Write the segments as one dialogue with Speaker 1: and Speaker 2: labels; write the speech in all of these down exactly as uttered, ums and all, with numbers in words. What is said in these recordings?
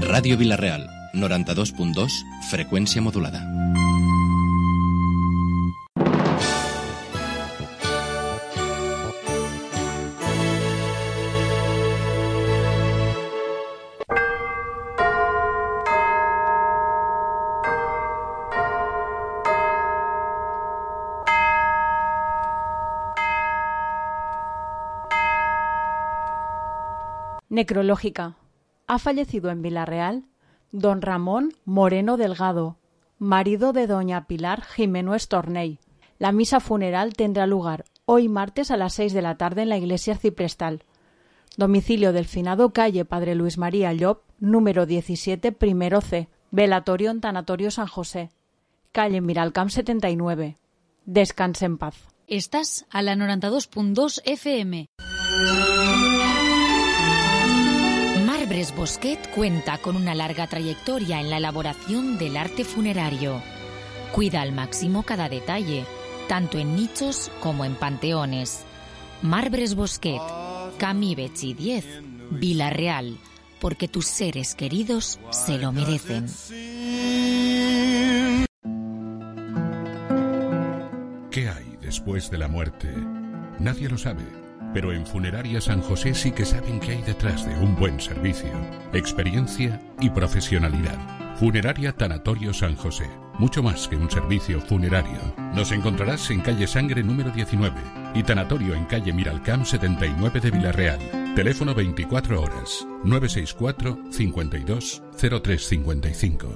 Speaker 1: Ràdio Vila-real, noranta-dos punt dos, freqüència modulada.
Speaker 2: Necrológica. Ha fallecido en Vila-real don Ramón Moreno Delgado, marido de doña Pilar Jimeno Estornell. La misa funeral tendrá lugar hoy martes a las seis de la tarde en la iglesia arciprestal. Domicilio del finado, calle Padre Luis María Llop, número diecisiete, primero C. Velatorio en Tanatorio San José, calle Miralcamp setenta y nueve. Descanse en paz.
Speaker 3: Estás a la noranta-dos punt dos F M. Marbres Bosquet cuenta con una larga trayectoria en la elaboración del arte funerario. Cuida al máximo cada detalle, tanto en nichos como en panteones. Marbres Bosquet, Camí Betxí diez, Vila-real, porque tus seres queridos se lo merecen.
Speaker 4: ¿Qué hay después de la muerte? Nadie lo sabe. Pero en Funeraria San José sí que saben qué hay detrás de un buen servicio, experiencia y profesionalidad. Funeraria Tanatorio San José, mucho más que un servicio funerario. Nos encontrarás en calle Sangre número diecinueve y Tanatorio en calle Miralcamp setenta y nueve de Vila-real. Teléfono veinticuatro horas, nueve seis cuatro, cincuenta y dos, cero tres cincuenta y cinco.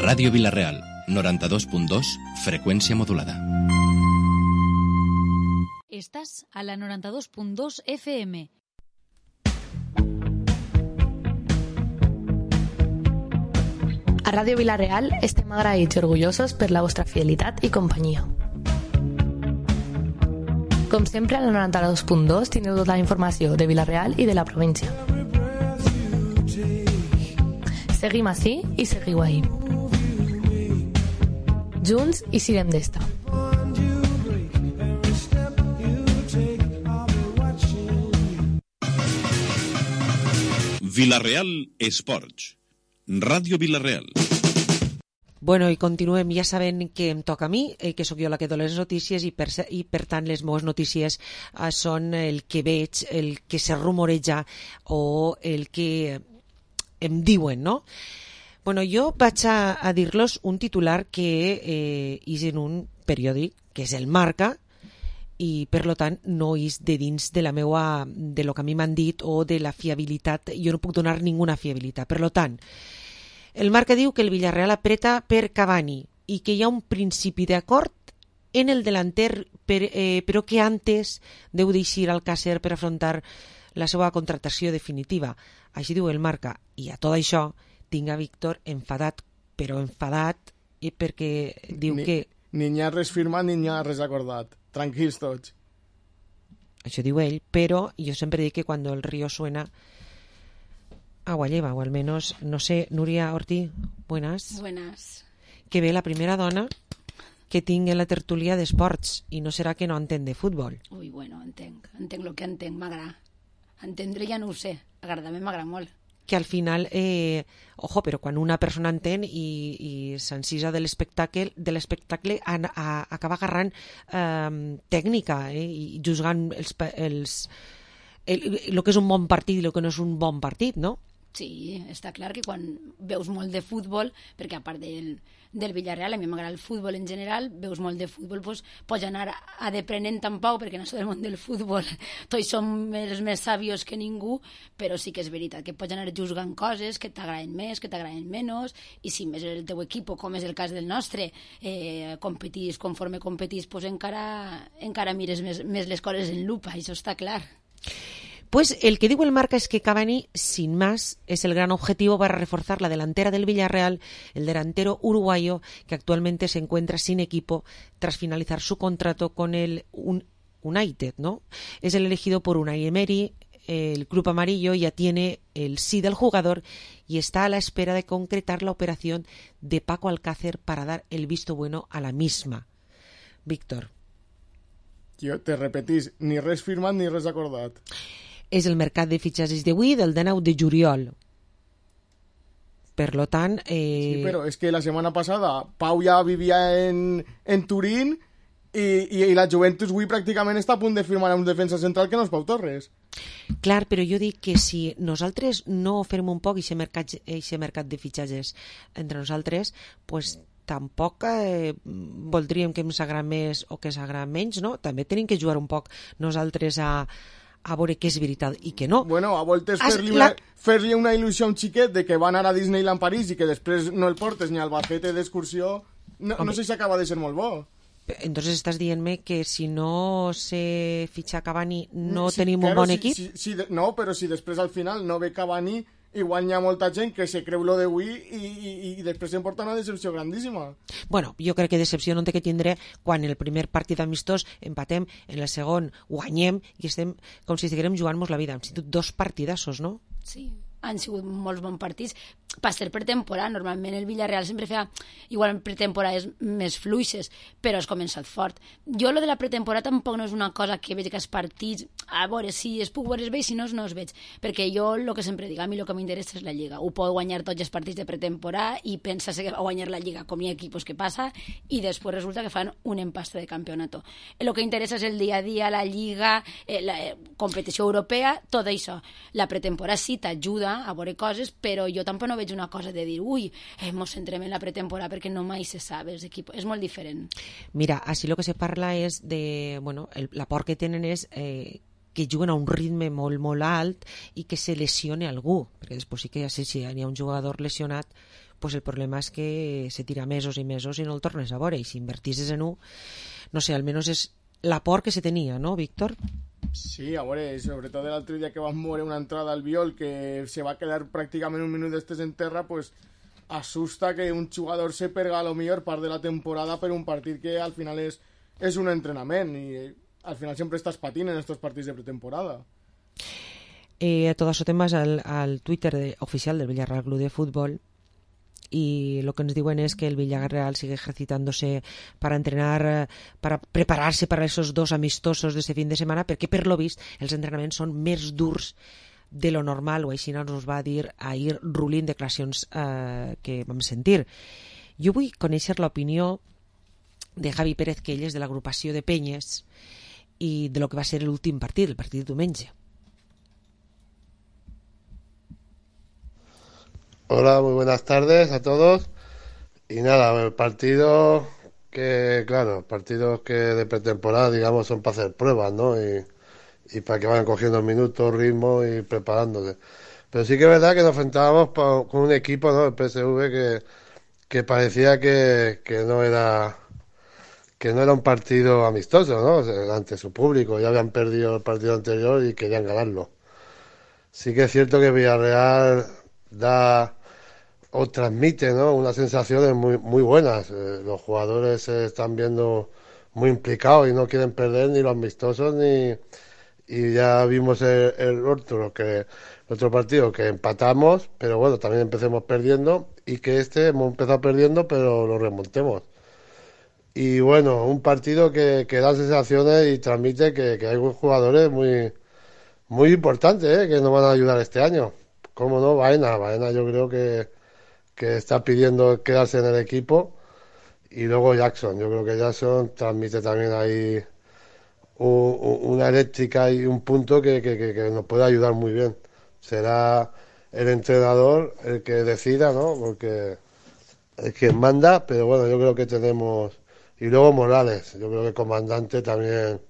Speaker 1: Ràdio Vila-real, noranta-dos punt dos, freqüència modulada.
Speaker 3: Estás a la noranta-dos punt dos F M.
Speaker 5: A Ràdio Vila-real estem agraïts i orgullosos per la vostra fidelitat i companyia. Com sempre, a la noranta-dos punt dos tindreu tota la informació de Vila-real i de la província. Seguim ací i seguiu ahí. Junts i sirem d'esta.
Speaker 6: Vila-real Esports. Ràdio Vila-real.
Speaker 7: Bueno, i continuem, ja sabent que em toca a mi, eh, que sóc jo la que dono les notícies i per, i per tant les meves notícies eh, són el que veig, el que se rumoreja o el que em diuen, no? Bueno, jo vaig a, a dir-los un titular que eh, és en un periòdic, que és el Marca, i per lo tant no és de dins de la meua, de lo que a mi m'han dit o de la fiabilitat, jo no puc donar ninguna fiabilitat. Per lo tant, el Marca diu que el Villarreal apreta per Cavani i que hi ha un principi d'acord en el delanter, per, eh, però que antes deu d'eixir al Alcácer per afrontar la seva contractació definitiva. Així diu el Marca. I a tot això tinc a Víctor enfadat, però enfadat perquè diu
Speaker 8: ni,
Speaker 7: que...
Speaker 8: Ni n'hi ha res firmat ni n'hi ha res acordat. Tranquils tots.
Speaker 7: Això diu ell, però jo sempre dic que quan el río suena agua lleva, o al menos, no sé, Núria Ortí, buenas.
Speaker 9: Buenas.
Speaker 7: Que ve la primera dona que tinc en la tertúlia d'esports, i no serà que no entén de futbol.
Speaker 9: Ui, bueno, entenc, entenc el que entenc, m'agrada. Entendre ja no ho sé, agradar-me m'agrada molt.
Speaker 7: Que al final, eh, ojo, però quan una persona entén i, i s'encisa de l'espectacle, de l'espectacle a, a, acaba agarrant eh, tècnica eh, i juzgant els, els, el, el que és un bon partit i el que no és un bon partit, no?
Speaker 9: Sí, està clar que quan veus molt de futbol, perquè a part del, del Villarreal, a mi m'agrada el futbol en general, veus molt de futbol, doncs, pots anar a deprenent tan pau, perquè en això del món del futbol tots som els més sàvios que ningú, però sí que és veritat que pots anar juzgant coses que t'agraden més, que t'agraden menys, i si més el teu equip, com és el cas del nostre, eh, competís conforme competís, doncs encara, encara mires més, més les coses en lupa, això està clar.
Speaker 7: Pues el que digo el Marca es que Cavani, sin más, es el gran objetivo para reforzar la delantera del Villarreal, el delantero uruguayo que actualmente se encuentra sin equipo tras finalizar su contrato con el United, ¿no? Es el elegido por Unai Emery, el club amarillo ya tiene el sí del jugador y está a la espera de concretar la operación de Paco Alcácer para dar el visto bueno a la misma. Víctor,
Speaker 8: Jo te repetís, ni res firmat ni res acordat.
Speaker 7: És el mercat de fitxatges d'avui del dinou de juliol. Per lo tant... Eh...
Speaker 8: Sí, però és que la setmana passada Pau ja vivia en, en Turín i, i, i la Juventus avui pràcticament està a punt de firmar un defensa central que no és Pau Torres.
Speaker 7: Clar, però jo dic que si nosaltres no fem un poc aquest mercat, mercat de fitxatges entre nosaltres, pues, tampoc eh, voldríem que ens agrada més o que s'agrada menys, no? També tenim que jugar un poc nosaltres a, a veure què és veritat i què no.
Speaker 8: Bueno, a voltes fer-li una, fer-li una il·lusió a un xiquet de que va anar a Disneyland París i que després no el portes ni al Albacete d'excursió, no, no sé si acaba de ser molt bo.
Speaker 7: Entonces estás dient-me que si no se fitxa Cavani no
Speaker 8: sí,
Speaker 7: tenim
Speaker 8: claro,
Speaker 7: un bon
Speaker 8: si,
Speaker 7: equip?
Speaker 8: Si, si, no, però si després al final no ve Cavani, igual hi ha molta gent que se creu lo d'avui i, i, i després em porta una decepció grandíssima.
Speaker 7: Bueno, jo crec que decepció no té que tindre quan el primer partit amistós empatem, en el segon guanyem i estem com si estiguérem jugant-nos la vida. Hem sigut dos partidassos, no?
Speaker 9: Sí, han sigut molts bons partits. Per ser pretemporada, normalment el Villarreal sempre feia igual pretemporades més fluixes, però has començat fort. Jo lo de la pretemporada tampoc no és una cosa que veig que els partits, a veure, si es puc veure es veig, si no, no es veig, perquè jo el que sempre dic, a mi el que m'interessa és la Lliga. Ho pot guanyar tots els partits de pretemporada i pensa que va guanyar la Lliga, com hi ha equipos que passa, i després resulta que fan un empastre de campionato. El que interessa és el dia a dia, la Lliga, eh, la eh, competició europea, tot això. La pretemporada sí t'ajuda a veure coses, però jo tampoc no veig una cosa de dir, ui, eh, mos centrem en la pretemporada perquè no mai se sabe, els equipos. És molt diferent.
Speaker 7: Mira, així el que se parla és de, bueno, el, la por que tenen és eh, que juguen a un ritme molt, molt alt i que se lesione algú, perquè després sí que ja sé si hi ha un jugador lesionat, pues el problema és que se tira mesos i mesos i no el tornes a veure, i si invertisses en un, no sé, almenys és la por que se tenia, no, Víctor?
Speaker 8: Sí, a veure, sobretot l'altre dia que vam veure una entrada al Viol que se va quedar pràcticament un minut d'estes en terra, pues asusta que un jugador se perga a lo millor part de la temporada per un partit que al final és, és un entrenament i al final sempre estàs patint en estos partits de pretemporada.
Speaker 7: Eh, todo eso temas al, al Twitter de, oficial del Villarreal Club de Fútbol, y lo que nos diuen es que el Villarreal sigue ejercitándose para entrenar, para prepararse para esos dos amistosos de este fin de semana, perquè per lo vist els entrenaments són més durs de lo normal, o així nos va dir ahir Rulín, declaracions eh, que vam sentir. Jo vull conèixer l'opinió de Javi Pérez, que ell és de l'agrupació de Penyes, i de lo que va ser l'últim partit, el partit de diumenge.
Speaker 10: Hola, muy buenas tardes a todos. Y nada, el partido que, claro, partidos que de pretemporada, digamos, son para hacer pruebas, ¿no? Y, y para que vayan cogiendo minutos, ritmo y preparándose. Pero sí que es verdad que nos enfrentábamos pa, con un equipo, ¿no? El P S V que, que parecía que, que no era que no era un partido amistoso, ¿no? O sea, ante su público. Ya habían perdido el partido anterior y querían ganarlo. Sí que es cierto que Villarreal da o transmite, ¿no?, unas sensaciones muy muy buenas. Eh, los jugadores se están viendo muy implicados y no quieren perder ni los amistosos ni y ya vimos el, el otro que el otro partido que empatamos, pero bueno, también empecemos perdiendo y que este hemos empezado perdiendo pero lo remontemos. Y bueno, un partido que, que da sensaciones y transmite que, que hay jugadores muy muy importantes, ¿eh?, que nos van a ayudar este año. ¿Cómo no? Baena, Baena yo creo que, que está pidiendo quedarse en el equipo. Y luego Jackson, yo creo que Jackson transmite también ahí un, una eléctrica y un punto que, que, que, que nos puede ayudar muy bien. Será el entrenador el que decida, ¿no? Porque es quien manda, pero bueno, yo creo que tenemos... Y luego Morales, yo creo que el comandante también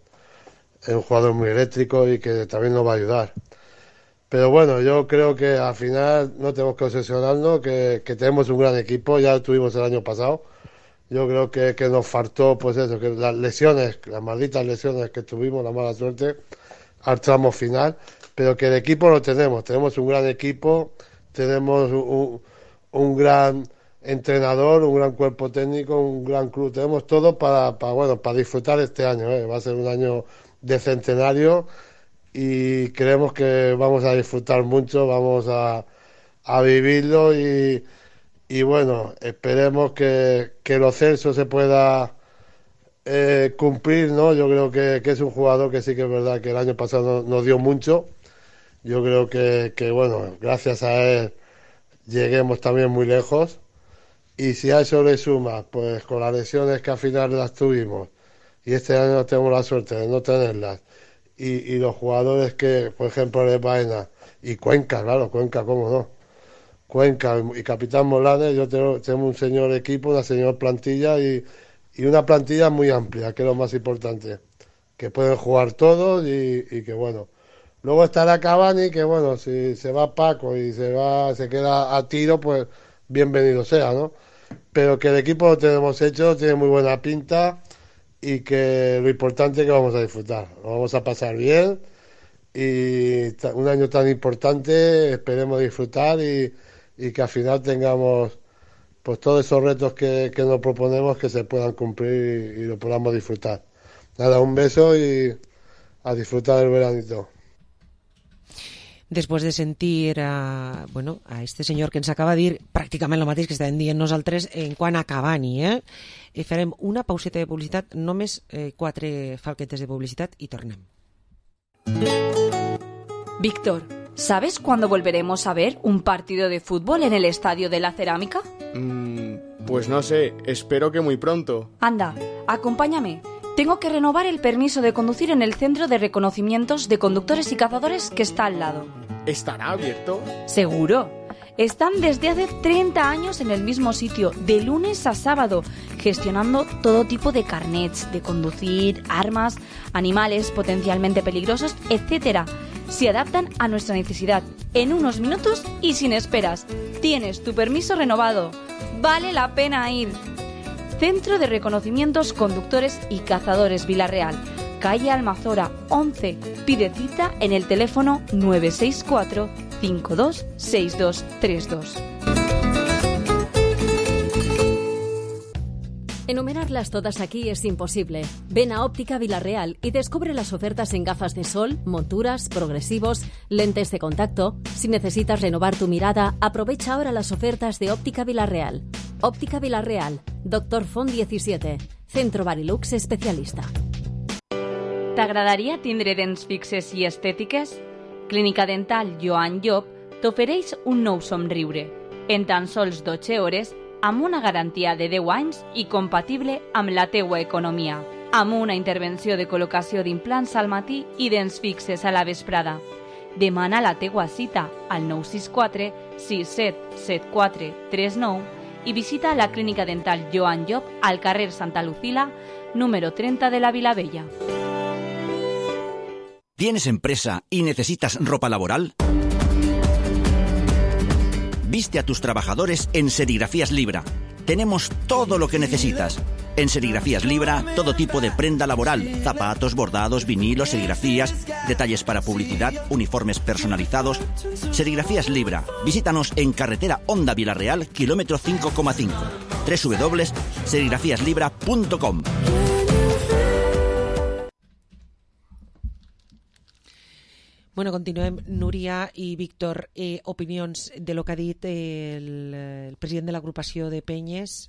Speaker 10: es un jugador muy eléctrico y que también nos va a ayudar. Pero bueno, yo creo que al final no tenemos que obsesionarnos, que, que tenemos un gran equipo, ya lo tuvimos el año pasado. Yo creo que, que nos faltó, pues eso, que las lesiones, las malditas lesiones que tuvimos, la mala suerte, al tramo final, pero que el equipo lo tenemos, tenemos un gran equipo, tenemos un, un gran entrenador, un gran cuerpo técnico, un gran club, tenemos todo para, para bueno, para disfrutar este año, ¿eh? Va a ser un año de centenario y creemos que vamos a disfrutar mucho, vamos a, a vivirlo y, y bueno, esperemos que, que lo Celso se pueda eh, cumplir, ¿no? Yo creo que, que es un jugador que sí que es verdad que el año pasado nos dio mucho. Yo creo que, que, bueno, gracias a él lleguemos también muy lejos. Y si a eso le sumas, pues con las lesiones que al final las tuvimos, y este año tenemos la suerte de no tenerlas, y, y los jugadores que, por ejemplo, de Baena, y Cuenca, claro, Cuenca, cómo no, Cuenca y Capitán Molanes, yo tengo, tengo un señor equipo, una señor plantilla, y, y una plantilla muy amplia, que es lo más importante, que pueden jugar todos, y, y que bueno, luego estará Cavani, que bueno, si se va Paco y se va, se queda a tiro, pues bienvenido sea, ¿no? Pero que el equipo lo tenemos hecho, tiene muy buena pinta, y que lo importante es que vamos a disfrutar, lo vamos a pasar bien, y un año tan importante esperemos disfrutar y, y que al final tengamos pues todos esos retos que, que nos proponemos que se puedan cumplir y, y lo podamos disfrutar. Nada, un beso y a disfrutar del veranito.
Speaker 7: Després de sentir a, bueno, a este senyor que ens acaba de dir pràcticament el mateix que estàvem dient nosaltres en quant a Cavani, eh? I farem una pauseta de publicitat, només eh, quatre falquetes de publicitat i tornem.
Speaker 11: Víctor, ¿sabes cuándo volveremos a ver un partido de fútbol en el Estadio de la Cerámica?
Speaker 8: Mm, pues no sé, espero que muy pronto.
Speaker 11: Anda, acompáñame. Tengo que renovar el permiso de conducir en el centro de reconocimientos de conductores y cazadores que está al lado.
Speaker 8: ¿Estará abierto?
Speaker 11: Seguro. Están desde hace treinta años en el mismo sitio, de lunes a sábado, gestionando todo tipo de carnets de conducir, armas, animales potencialmente peligrosos, etcétera. Se adaptan a nuestra necesidad en unos minutos y sin esperas. Tienes tu permiso renovado. Vale la pena ir. Centro de Reconocimientos Conductores y Cazadores Vila-real, calle Almazora once. Pide cita en el teléfono nueve seis cuatro, cinco dos seis dos tres dos.
Speaker 12: Enumerarlas todas aquí es imposible. Ven a Óptica Vila-real y descubre las ofertas en gafas de sol, monturas, progresivos, lentes de contacto. Si necesitas renovar tu mirada, aprovecha ahora las ofertas de Óptica Vila-real. Óptica Vila-real, Doctor Font disset, Centro Barilux especialista.
Speaker 11: T'agradaria tindre dents fixes i estètiques? Clínica Dental Joan Llop t'ofereix un nou somriure, en tan sols dotze hores, amb una garantia de deu anys i compatible amb la teua economia, amb una intervenció de col·locació d'implants al matí i dents fixes a la vesprada. Demana la teua cita al nou sis quatre, sis set set quatre tres nou i visita la Clínica Dental Joan Llop al carrer Santa Lucila, número treinta de la Vilavella.
Speaker 13: ¿Tienes empresa y necesitas ropa laboral? Viste a tus trabajadores en Serigrafías Libra. Tenemos todo lo que necesitas. En Serigrafías Libra, todo tipo de prenda laboral, zapatos, bordados, vinilos, serigrafías, detalles para publicidad, uniformes personalizados. Serigrafías Libra. Visítanos en carretera Honda Vila-real, kilómetro cinco coma cinco. doble u doble u doble u punto serigrafías libra punto com.
Speaker 7: Bueno, continuem. Núria i Víctor, eh, opinions de lo que ha dit el, el president de l'agrupació de Penyes,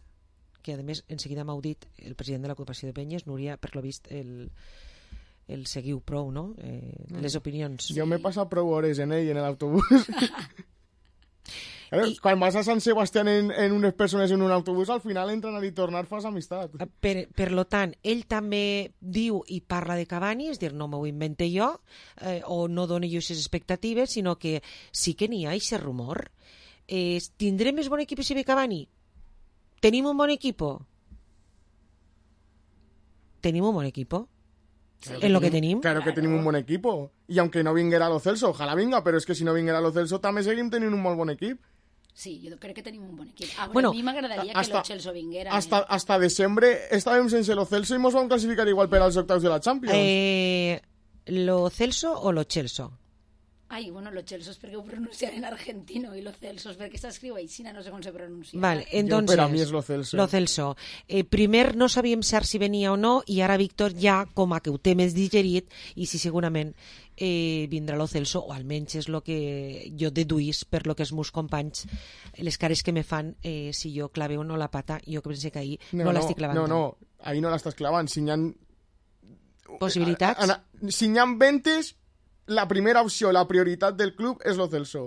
Speaker 7: que a més en seguida m'heu dit el president de l'agrupació de Penyes. Núria, per lo vist el, el seguiu prou, no? Eh, les opinions.
Speaker 8: Jo m'he passat prou hores en ell, en l'autobús. I... Quan vas a Sant Sebastián en, en unes persones en un autobús, al final entren a dir tornar fas amistat.
Speaker 7: Per, per lo tant, ell també diu i parla de Cavani, és dir, no m'ho invente jo, eh, o no dono jo aquestes expectatives, sinó que sí que n'hi ha aquest rumor. Eh, tindrem més bon equip si ve Cavani? ¿Tenim un bon equipo? ¿Tenim un bon equipo?
Speaker 8: Claro
Speaker 7: en lo
Speaker 8: que
Speaker 7: que tenim?
Speaker 8: Claro que tenim un bon equipo. I aunque no vinguera Lo Celso, ojalà vinga, però és que si no vinguera Lo Celso també seguim tenint un molt bon equip.
Speaker 9: Sí, jo crec que tenim un bon equip. A,
Speaker 8: Bueno,
Speaker 9: a mi m'agradaria que Lo Celso vinguera.
Speaker 8: Hasta, eh? hasta desembre estàvem sense Lo Celso i mos vam classificar igual per als octaus de la Champions.
Speaker 7: Eh, ¿Lo Celso o Lo Celso?
Speaker 9: Ai, bueno, lo Celso és perquè ho pronuncian en argentino i lo Celso és perquè s'escriu així, no sé com se pronuncia.
Speaker 7: Vale, entonces,
Speaker 8: jo, per a mi és lo Celso.
Speaker 7: Lo Celso. Eh, primer no sabíem cert si venia o no i ara Víctor ja com a que ho té més digerit i si segurament eh, vindrà lo Celso, o almenys és el que jo deduís per lo que els meus companys, les cares que me fan eh, si jo clave o no la pata, jo que pense que ahir no, no, no l'estic clavant.
Speaker 8: No, no, ahir no l'estàs clavant. Si n'hi ha...
Speaker 7: Possibilitats?
Speaker 8: A, a, si n'hi ha ventes, la primera opció, la prioritat del club és lo Celso.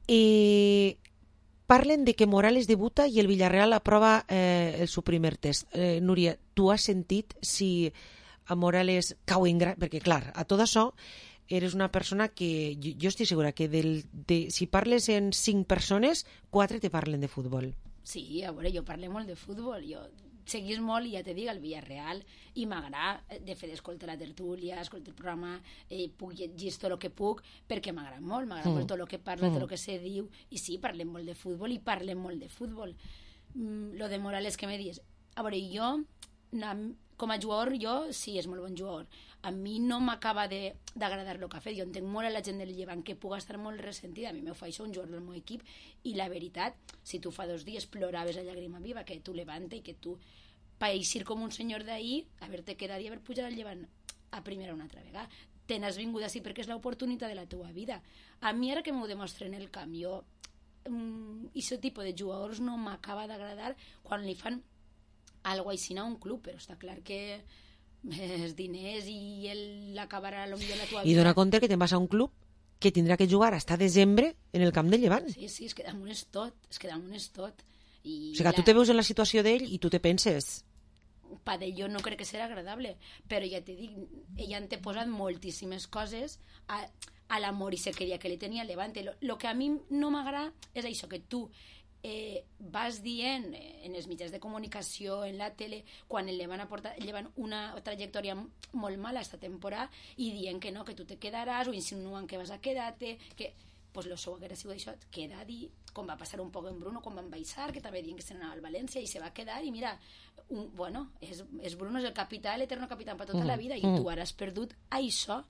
Speaker 7: Eh, parlen de que Morales debuta i el Villarreal aprova eh, el seu primer test. Eh, Núria, tu has sentit si a Morales cau en gra... Perquè, clar, a tot això eres una persona que... Jo, jo estic segura que del, de, si parles en cinc persones, quatre te parlen de futbol.
Speaker 9: Sí, a veure, jo parlo molt de futbol. Jo seguís molt, i ja te dic, el Villarreal, i m'agrada, de fet, escoltar la tertúlia, escoltar el programa, eh, puc llegir tot el que puc, perquè m'agrada molt, m'agrada mm. molt tot el que parla, mm. tot el que se diu, i sí, parlem molt de futbol, i parlem molt de futbol. Mm, lo de Morales que me dius, a veure, jo, com a jugador, jo sí, és molt bon jugador. A mi no m'acaba d'agradar el que ha fet, jo entenc molt a la gent del Llevant que puga estar molt ressentida, a mi m'ho fa això un jugador del meu equip, i la veritat, si tu fa dos dies ploraves a llàgrima viva, que tu levanta i que tu paeixir com un senyor d'ahir, haver-te quedat i haver pujat al Llevant a primera una altra vegada. Te n'has vingut així perquè és l'oportunitat de la teua vida. A mi ara que m'ho demostren el camp, jo, mm, aquest tipus de jugadors no m'acaba d'agradar quan li fan alguna així a un club, però està clar que els diners i ell acabarà potser la tua vida.
Speaker 7: I dona compte que te'n vas a un club que tindrà que jugar hasta desembre en el camp del Llevant.
Speaker 9: Sí, sí, és que damunt és tot, és que damunt és tot. I
Speaker 7: o sigui que la... tu te veus en la situació d'ell i tu te penses...
Speaker 9: Pa d'ell no crec que serà agradable, però ja t'he dit, ella han te posat moltíssimes coses a, a l'amor i sequeria que li tenia a Levante. Lo, lo que a mi no m'agrada és això, que tu eh, vas dient en els mitjans de comunicació, en la tele, quan el Levant, aporta, llevan una trajectòria molt mala esta temporada i dient que no, que tu te quedaràs, o insinuen que vas a quedar-te, que... pues lo seu haguera sigut això, quedar i com va passar un poc en Bruno, com van baixar, que també diuen que se n'anava al València i se va quedar, i mira, un, bueno, és, és Bruno és el capità, l'eterno capità per tota mm. la vida, i tu ara has perdut això,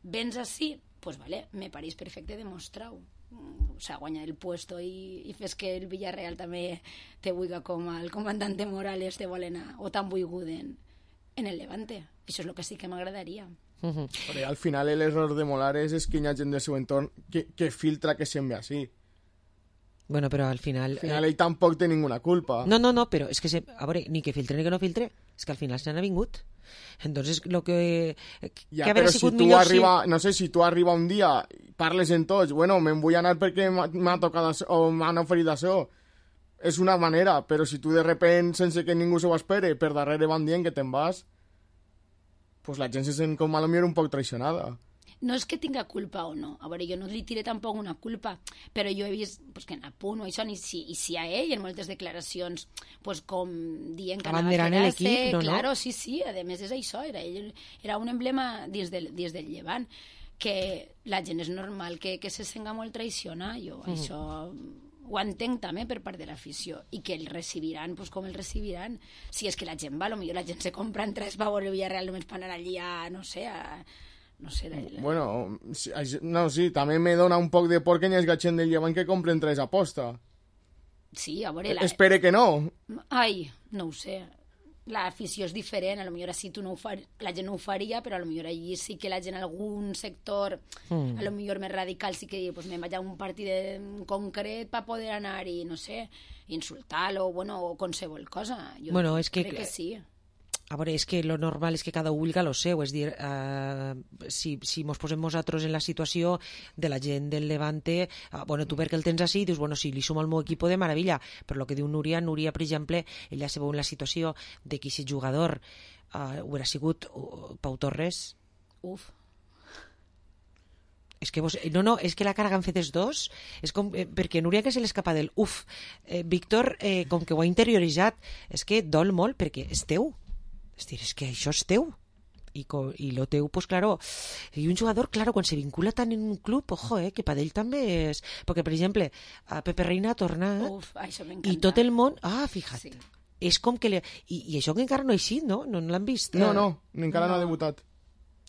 Speaker 9: vens així, pues vale, me pareix perfecte demostrar-ho. O sea, guanyar el puesto i, i fes que el Villarreal també te vulga com el comandante Morales te volen a, o tan volgut en, en el Levante. Això és el que sí que m'agradaria.
Speaker 8: Uh-huh. Però al final l'error de Morales és que hi ha gent del seu entorn que, que filtra que sembli així.
Speaker 7: Bueno, però al final...
Speaker 8: Al final ell eh... tampoc té ninguna culpa.
Speaker 7: No, no, no, però és que, se... a veure, ni que filtre ni que no filtre, és que al final se n'ha vingut. Entonces, lo que...
Speaker 8: Ja, que però si tu arriba, si... no sé, si tu arriba un dia, parles en tots, bueno, me'n vull anar perquè m'ha tocat o m'han oferit això. És una manera, però si tu de repent, sense que ningú s'ho espere, per darrere van dient que te'n vas, pues la gent se sent com a lo millor un poc traicionada.
Speaker 9: No és que tinga culpa o no, a veure, jo no li tiré tampoc una culpa, però jo he vist pues, que en Apunt o això, i si, i si a ell en moltes declaracions, pues, com dient que anava a quedar-se, no, claro, no? sí, sí, a més és això, era, ell, era un emblema dins del, dins del Llevant, que la gent és normal que, que se senga molt traïcionar, jo mm. això ho entenc també per part de l'afició, i que el recibiran pues, com el recibiran, si és que la gent va, potser la gent se compra entrades per veure el Villarreal només per anar allí a, no sé, a... No sé, la...
Speaker 8: Bueno, sí, no, sí, també me dona un poc de por que hi hagi gent del Llevant que compren tres aposta.
Speaker 9: Sí, a veure... La...
Speaker 8: Espere que no.
Speaker 9: Ai, no ho sé. L'afició és diferent, a lo millor així tu no ho far... la gent no ho faria, però a lo millor allí sí que la gent, algun sector, mm. a lo millor més radical, sí que pues, me'n vaig a un partit en concret per poder anar i, no sé, insultar-lo, bueno, o qualsevol cosa. Jo
Speaker 7: bueno, és que...
Speaker 9: crec que sí.
Speaker 7: A veure, és que lo normal és que cada un vulga lo seu, és dir, uh, si, si mos posem nosaltres en la situació de la gent del Levante, uh, bueno, tu perquè el tens així, dius, bueno, si li sumo al meu equip de meravella, però el que diu Núria, Núria, per exemple, ella se veu en la situació de que si jugador uh, hubiera sigut uh, Pau Torres...
Speaker 9: Uf.
Speaker 7: És que vos, no, no, és que la cara que han fet els dos és com, eh, perquè Núria que se l'escapa del uf, eh, Víctor eh, com que ho ha interioritzat, és que dol molt perquè és teu. És dir, és que això és teu. I, i lo teu, pues claro, i un jugador, claro, quan se vincula tant en un club, ojo, eh, que per ell també és... Perquè, per exemple, a Pepe Reina ha tornat...
Speaker 9: Uf, això m'encanta.
Speaker 7: I tot el món... Ah, fija't. Sí. És com que... Le... I, I això que encara no ha eixit, no? No, no l'han vist?
Speaker 8: No, no, encara no, no ha debutat.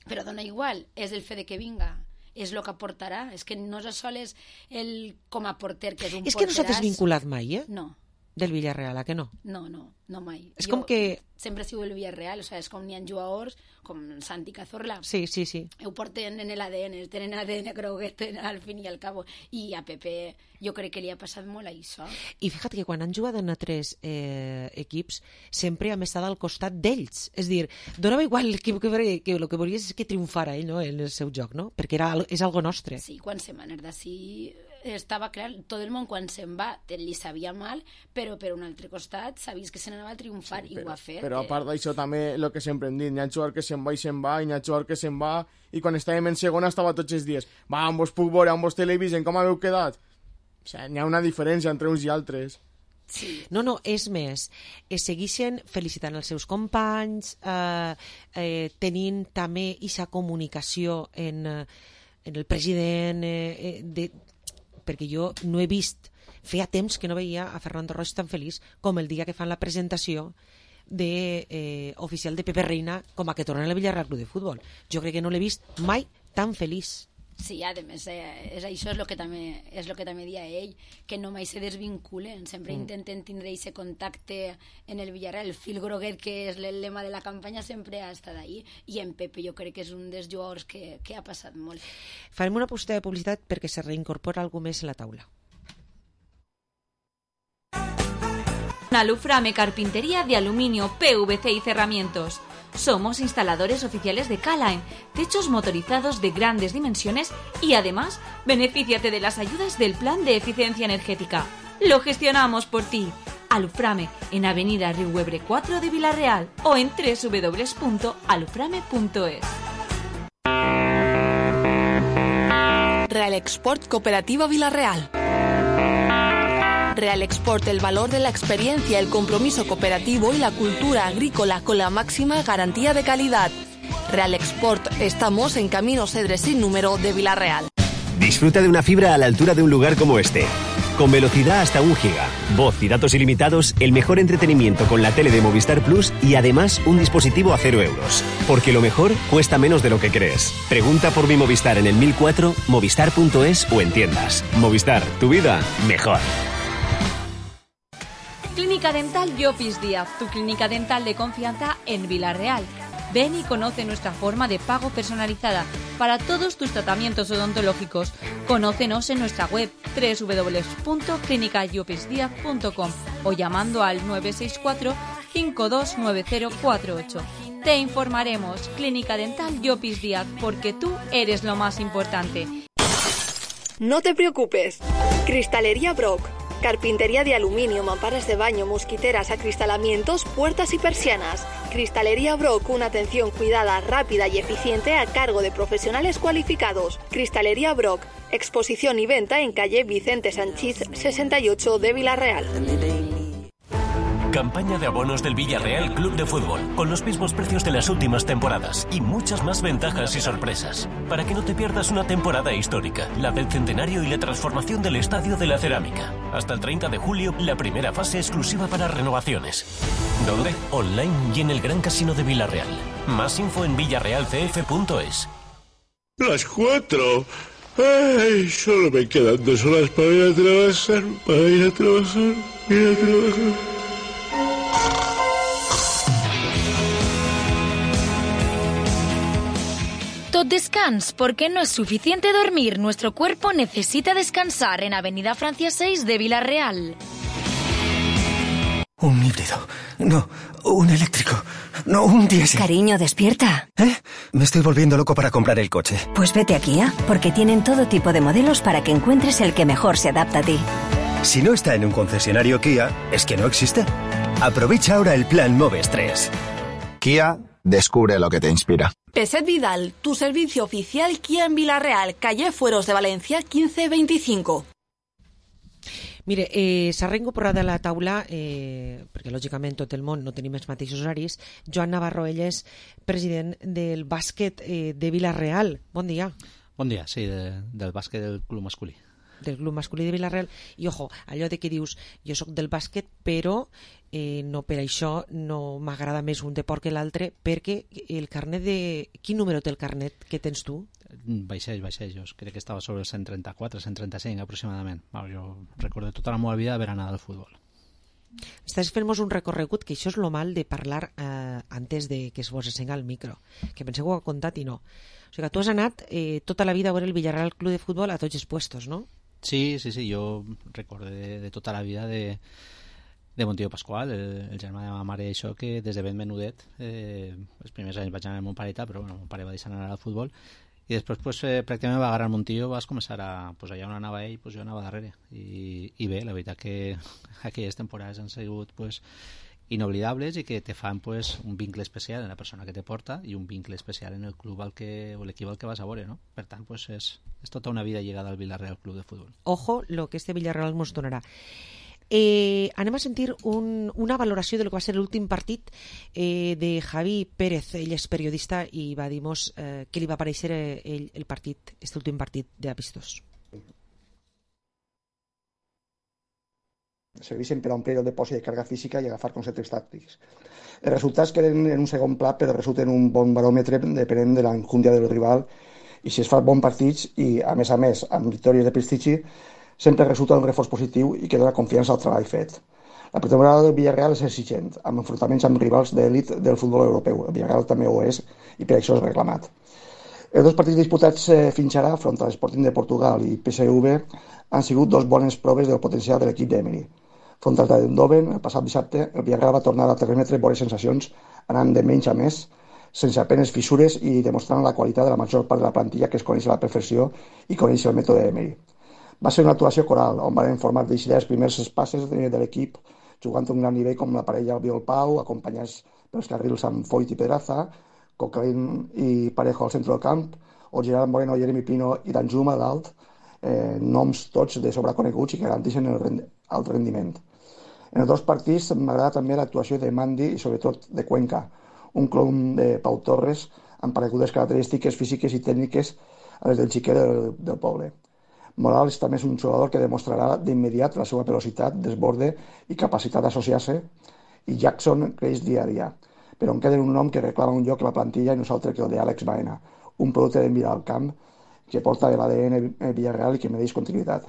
Speaker 9: però dona igual, és el fet de que vinga, és el que aportarà, és que no sols el com a porter, que és un porteràs.
Speaker 7: És que no s'ha desvinculat mai, eh?
Speaker 9: No.
Speaker 7: Del Villarreal, a que no?
Speaker 9: No, no, no mai.
Speaker 7: És
Speaker 9: jo
Speaker 7: com que...
Speaker 9: Sempre sigo el Villarreal, o sea, és com n'hi ha jugadors, com Santi Cazorla.
Speaker 7: Sí, sí, sí.
Speaker 9: Ho porten en l'A D N, tenen A D N croguet al fin i al cabo. I a Pepe jo crec que li ha passat molt a això.
Speaker 7: I fíjate que quan han jugat en altres eh, equips sempre hem estat al costat d'ells. És dir, donava igual l'equip que, que, que el que volies és que triomfara ell, no?, en el seu joc, no? Perquè era, és algo nostre.
Speaker 9: Sí, quan se'n va anar d'ací estava clar, tot el món quan se'n va li sabia mal, però per un altre costat sabies que se n'anava a triomfar, sí, però, i ho ha fet.
Speaker 8: Però a part d'això també el que sempre hem dit, n'hi ha jugador que se'n va i se'n va, i n'hi ha jugador que se'n va, i quan estàvem en segona estava tots els dies, va, on vos puc veure, on vos televisen, com haveu quedat? O sigui, n'hi ha una diferència entre uns i altres.
Speaker 9: Sí.
Speaker 7: No, no, és més, es segueixen felicitant els seus companys, eh, eh, tenint també aquesta comunicació en, en el president, eh, de, perquè jo no he vist, feia temps que no veia a Fernando Roig tan feliç com el dia que fan la presentació de, eh, oficial de Pepe Reina com a que torna al Villarreal Club de Futbol. Jo crec que no l'he vist mai tan feliç.
Speaker 9: Sí, a més, eh, és, això és el que també és el que també dia ell, que no mai se desvinculen, sempre mm. intenten tindre aquest contacte en el Villarreal, el fil groguet que és el lema de la campanya sempre ha estat ahí, i en Pepe jo crec que és un dels jugadors que, que ha passat molt.
Speaker 7: Farem una posteta de publicitat perquè se reincorpora algú més en la taula.
Speaker 11: Aluframe Carpintería de Aluminio, P V C y Cerramientos. Somos instaladores oficiales de K-Line, techos motorizados de grandes dimensiones y además benefíciate de las ayudas del Plan de Eficiencia Energética. Lo gestionamos por ti. Aluframe en Avenida Riuebre cuatro de Villarreal o en doble u doble u doble u punto aluframe punto es.
Speaker 5: Real Export Cooperativa Villarreal. Real Export, el valor de la experiencia, el compromiso cooperativo y la cultura agrícola con la máxima garantía de calidad. Real Export, estamos en Camino Cedres sin número de Villarreal.
Speaker 14: Disfruta de una fibra a la altura de un lugar como este. Con velocidad hasta un giga, voz y datos ilimitados, el mejor entretenimiento con la tele de Movistar Plus y además un dispositivo a cero euros. Porque lo mejor cuesta menos de lo que crees. Pregunta por mi Movistar en el mil cuatro, movistar punto es o en tiendas. Movistar, tu vida mejor.
Speaker 11: Clínica Dental Llopis Díaz, tu clínica dental de confianza en Villarreal. Ven y conoce nuestra forma de pago personalizada para todos tus tratamientos odontológicos. Conócenos en nuestra web doble u doble u doble u punto clínica llopis díaz punto com o llamando al nueve seis cuatro, cinco dos nueve cero cuatro ocho. Te informaremos. Clínica Dental Llopis Díaz, porque tú eres lo más importante.
Speaker 5: No te preocupes. Cristalería Brock. Carpintería de aluminio, mamparas de baño, mosquiteras, acristalamientos, puertas y persianas. Cristalería Brock, una atención cuidada, rápida y eficiente a cargo de profesionales cualificados. Cristalería Brock, exposición y venta en calle Vicente Sanchís sesenta y ocho de Villarreal.
Speaker 15: Campaña de abonos del Villarreal Club de Fútbol, con los mismos precios de las últimas temporadas y muchas más ventajas y sorpresas, para que no te pierdas una temporada histórica, la del centenario y la transformación del Estadio de la Cerámica. Hasta el treinta de julio, la primera fase exclusiva para renovaciones. ¿Dónde? Online y en el Gran Casino de Villarreal. Más info en villarreal c f punto es.
Speaker 16: Las cuatro. Ay, solo me quedan dos horas para ir a trabajar, para ir a trabajar, ir a trabajar.
Speaker 3: Tot descans, porque no es suficiente dormir. Nuestro cuerpo necesita descansar en Avenida Francia seis de Villarreal.
Speaker 17: Un híbrido. No, un eléctrico. No, un diésel.
Speaker 18: Cariño, despierta.
Speaker 17: ¿Eh? Me estoy volviendo loco para comprar el coche.
Speaker 18: Pues vete a Kia, porque tienen todo tipo de modelos para que encuentres el que mejor se adapta a ti.
Speaker 17: Si no está en un concesionario Kia, es que no existe. Aprovecha ahora el plan Moves tres.
Speaker 19: Kia, descubre lo que te inspira.
Speaker 5: Peset Vidal, tu servicio oficial Kia en Villarreal, calle Fueros de Valencia quince veinticinco.
Speaker 7: Mire, eh, s'ha reincorporat a la taula, eh, perquè lògicament tot el món no tenim els mateixos horaris, Joan Navarro, ell és president del bàsquet eh, de Villarreal. Bon dia.
Speaker 20: Bon dia, sí, de, del bàsquet del club masculí.
Speaker 7: del club masculí de Vilareal, i ojo, allò de que dius jo sóc del bàsquet, però eh, no per això no m'agrada més un deport que l'altre, perquè el carnet de... Quin número té el carnet que tens tu?
Speaker 20: Baixeix, baixeix, jo crec que estava sobre el cent trenta-quatre, cent trenta-cinc aproximadament. Bueno, jo recordo tota la meva vida haver anat al futbol.
Speaker 7: Estàs fent-nos un recorregut, que això és lo mal de parlar eh, antes de que es vos ensenga el micro, que penseu que ho ha contat i no. O sigui que tu has anat eh, tota la vida a veure el Villarreal Club de Futbol a tots els puestos, no?
Speaker 20: Sí, sí, sí, jo recordo de, de tota la vida de, de Montillo Pascual, el, el germà de ma mare, això que des de ben menudet, eh, els primers anys vaig anar amb mon pare, però bueno, mon pare va deixar anar al futbol, i després pues, eh, pràcticament va agarrar el Montillo, vas començar a... Pues allà on anava ell, pues jo anava darrere, i, i bé, la veritat que aquelles temporades han sigut pues, inoblidables i que te fan pues, un vincle especial en la persona que te porta i un vincle especial en el club al que, o l'equip al que vas a veure, no? Per tant, pues, és, és tota una vida lligada al Villarreal Club de Futbol.
Speaker 7: Ojo lo que este Villarreal mos donarà. Eh, anem a sentir un, una valoració de lo que va ser l'últim partit eh, de Javi Pérez. Ell és periodista i va dir-nos eh, què li va parèixer eh, ell el partit, este últim partit d'Apistós.
Speaker 21: Serveixen per omplir el depòsit de càrrega física i agafar conceptes tàctics. Els resultats queden en un segon pla, però resulten un bon baròmetre depenent de l'encúndia del rival, i si es fa bons partits i, a més a més, amb victòries de prestigi, sempre resulta un reforç positiu i que dona confiança al treball fet. La pretemporada del Villarreal és exigent, amb enfrontaments amb rivals d'elit del futbol europeu. El Villarreal també ho és i per això és reclamat. Els dos partits disputats eh, fins ara, front a l'Sporting de Portugal i P S V, han sigut dos bones proves del potencial de l'equip d'Emery. Front al Eindhoven, el passat dissabte, el Villarreal va tornar a transmetre bones sensacions, anant de menys a més, sense apenes fissures i demostrant la qualitat de la major part de la plantilla que es coneix a la perfecció i coneix el mètode d'Emery. Va ser una actuació coral, on van formar d'eixir els primers passes de, de l'equip, jugant a un gran nivell com la parella Albiol Pau, acompanyats pels carrils amb Foyt i Pedraza, Coquelin i Parejo al centre del camp, o Gerard Moreno, Jeremy Pino i Danjuma a dalt, eh, noms tots de sobreconeguts i que garanteixen el, rend el rendiment. En els dos partits m'agrada també l'actuació de Mandi i sobretot de Cuenca, un clon de Pau Torres amb paregudes característiques físiques i tècniques a les del xiquet del, del poble. Morales també és un jugador que demostrarà d'immediat la seva velocitat, desborde i capacitat d'associar-se, i Jackson creix dia a dia, però en queda un nom que reclama un lloc a la plantilla i nosaltres que el d'Àlex Baena, un producte de mirar al camp que porta l'A D N Villarreal i que mereix continuïtat.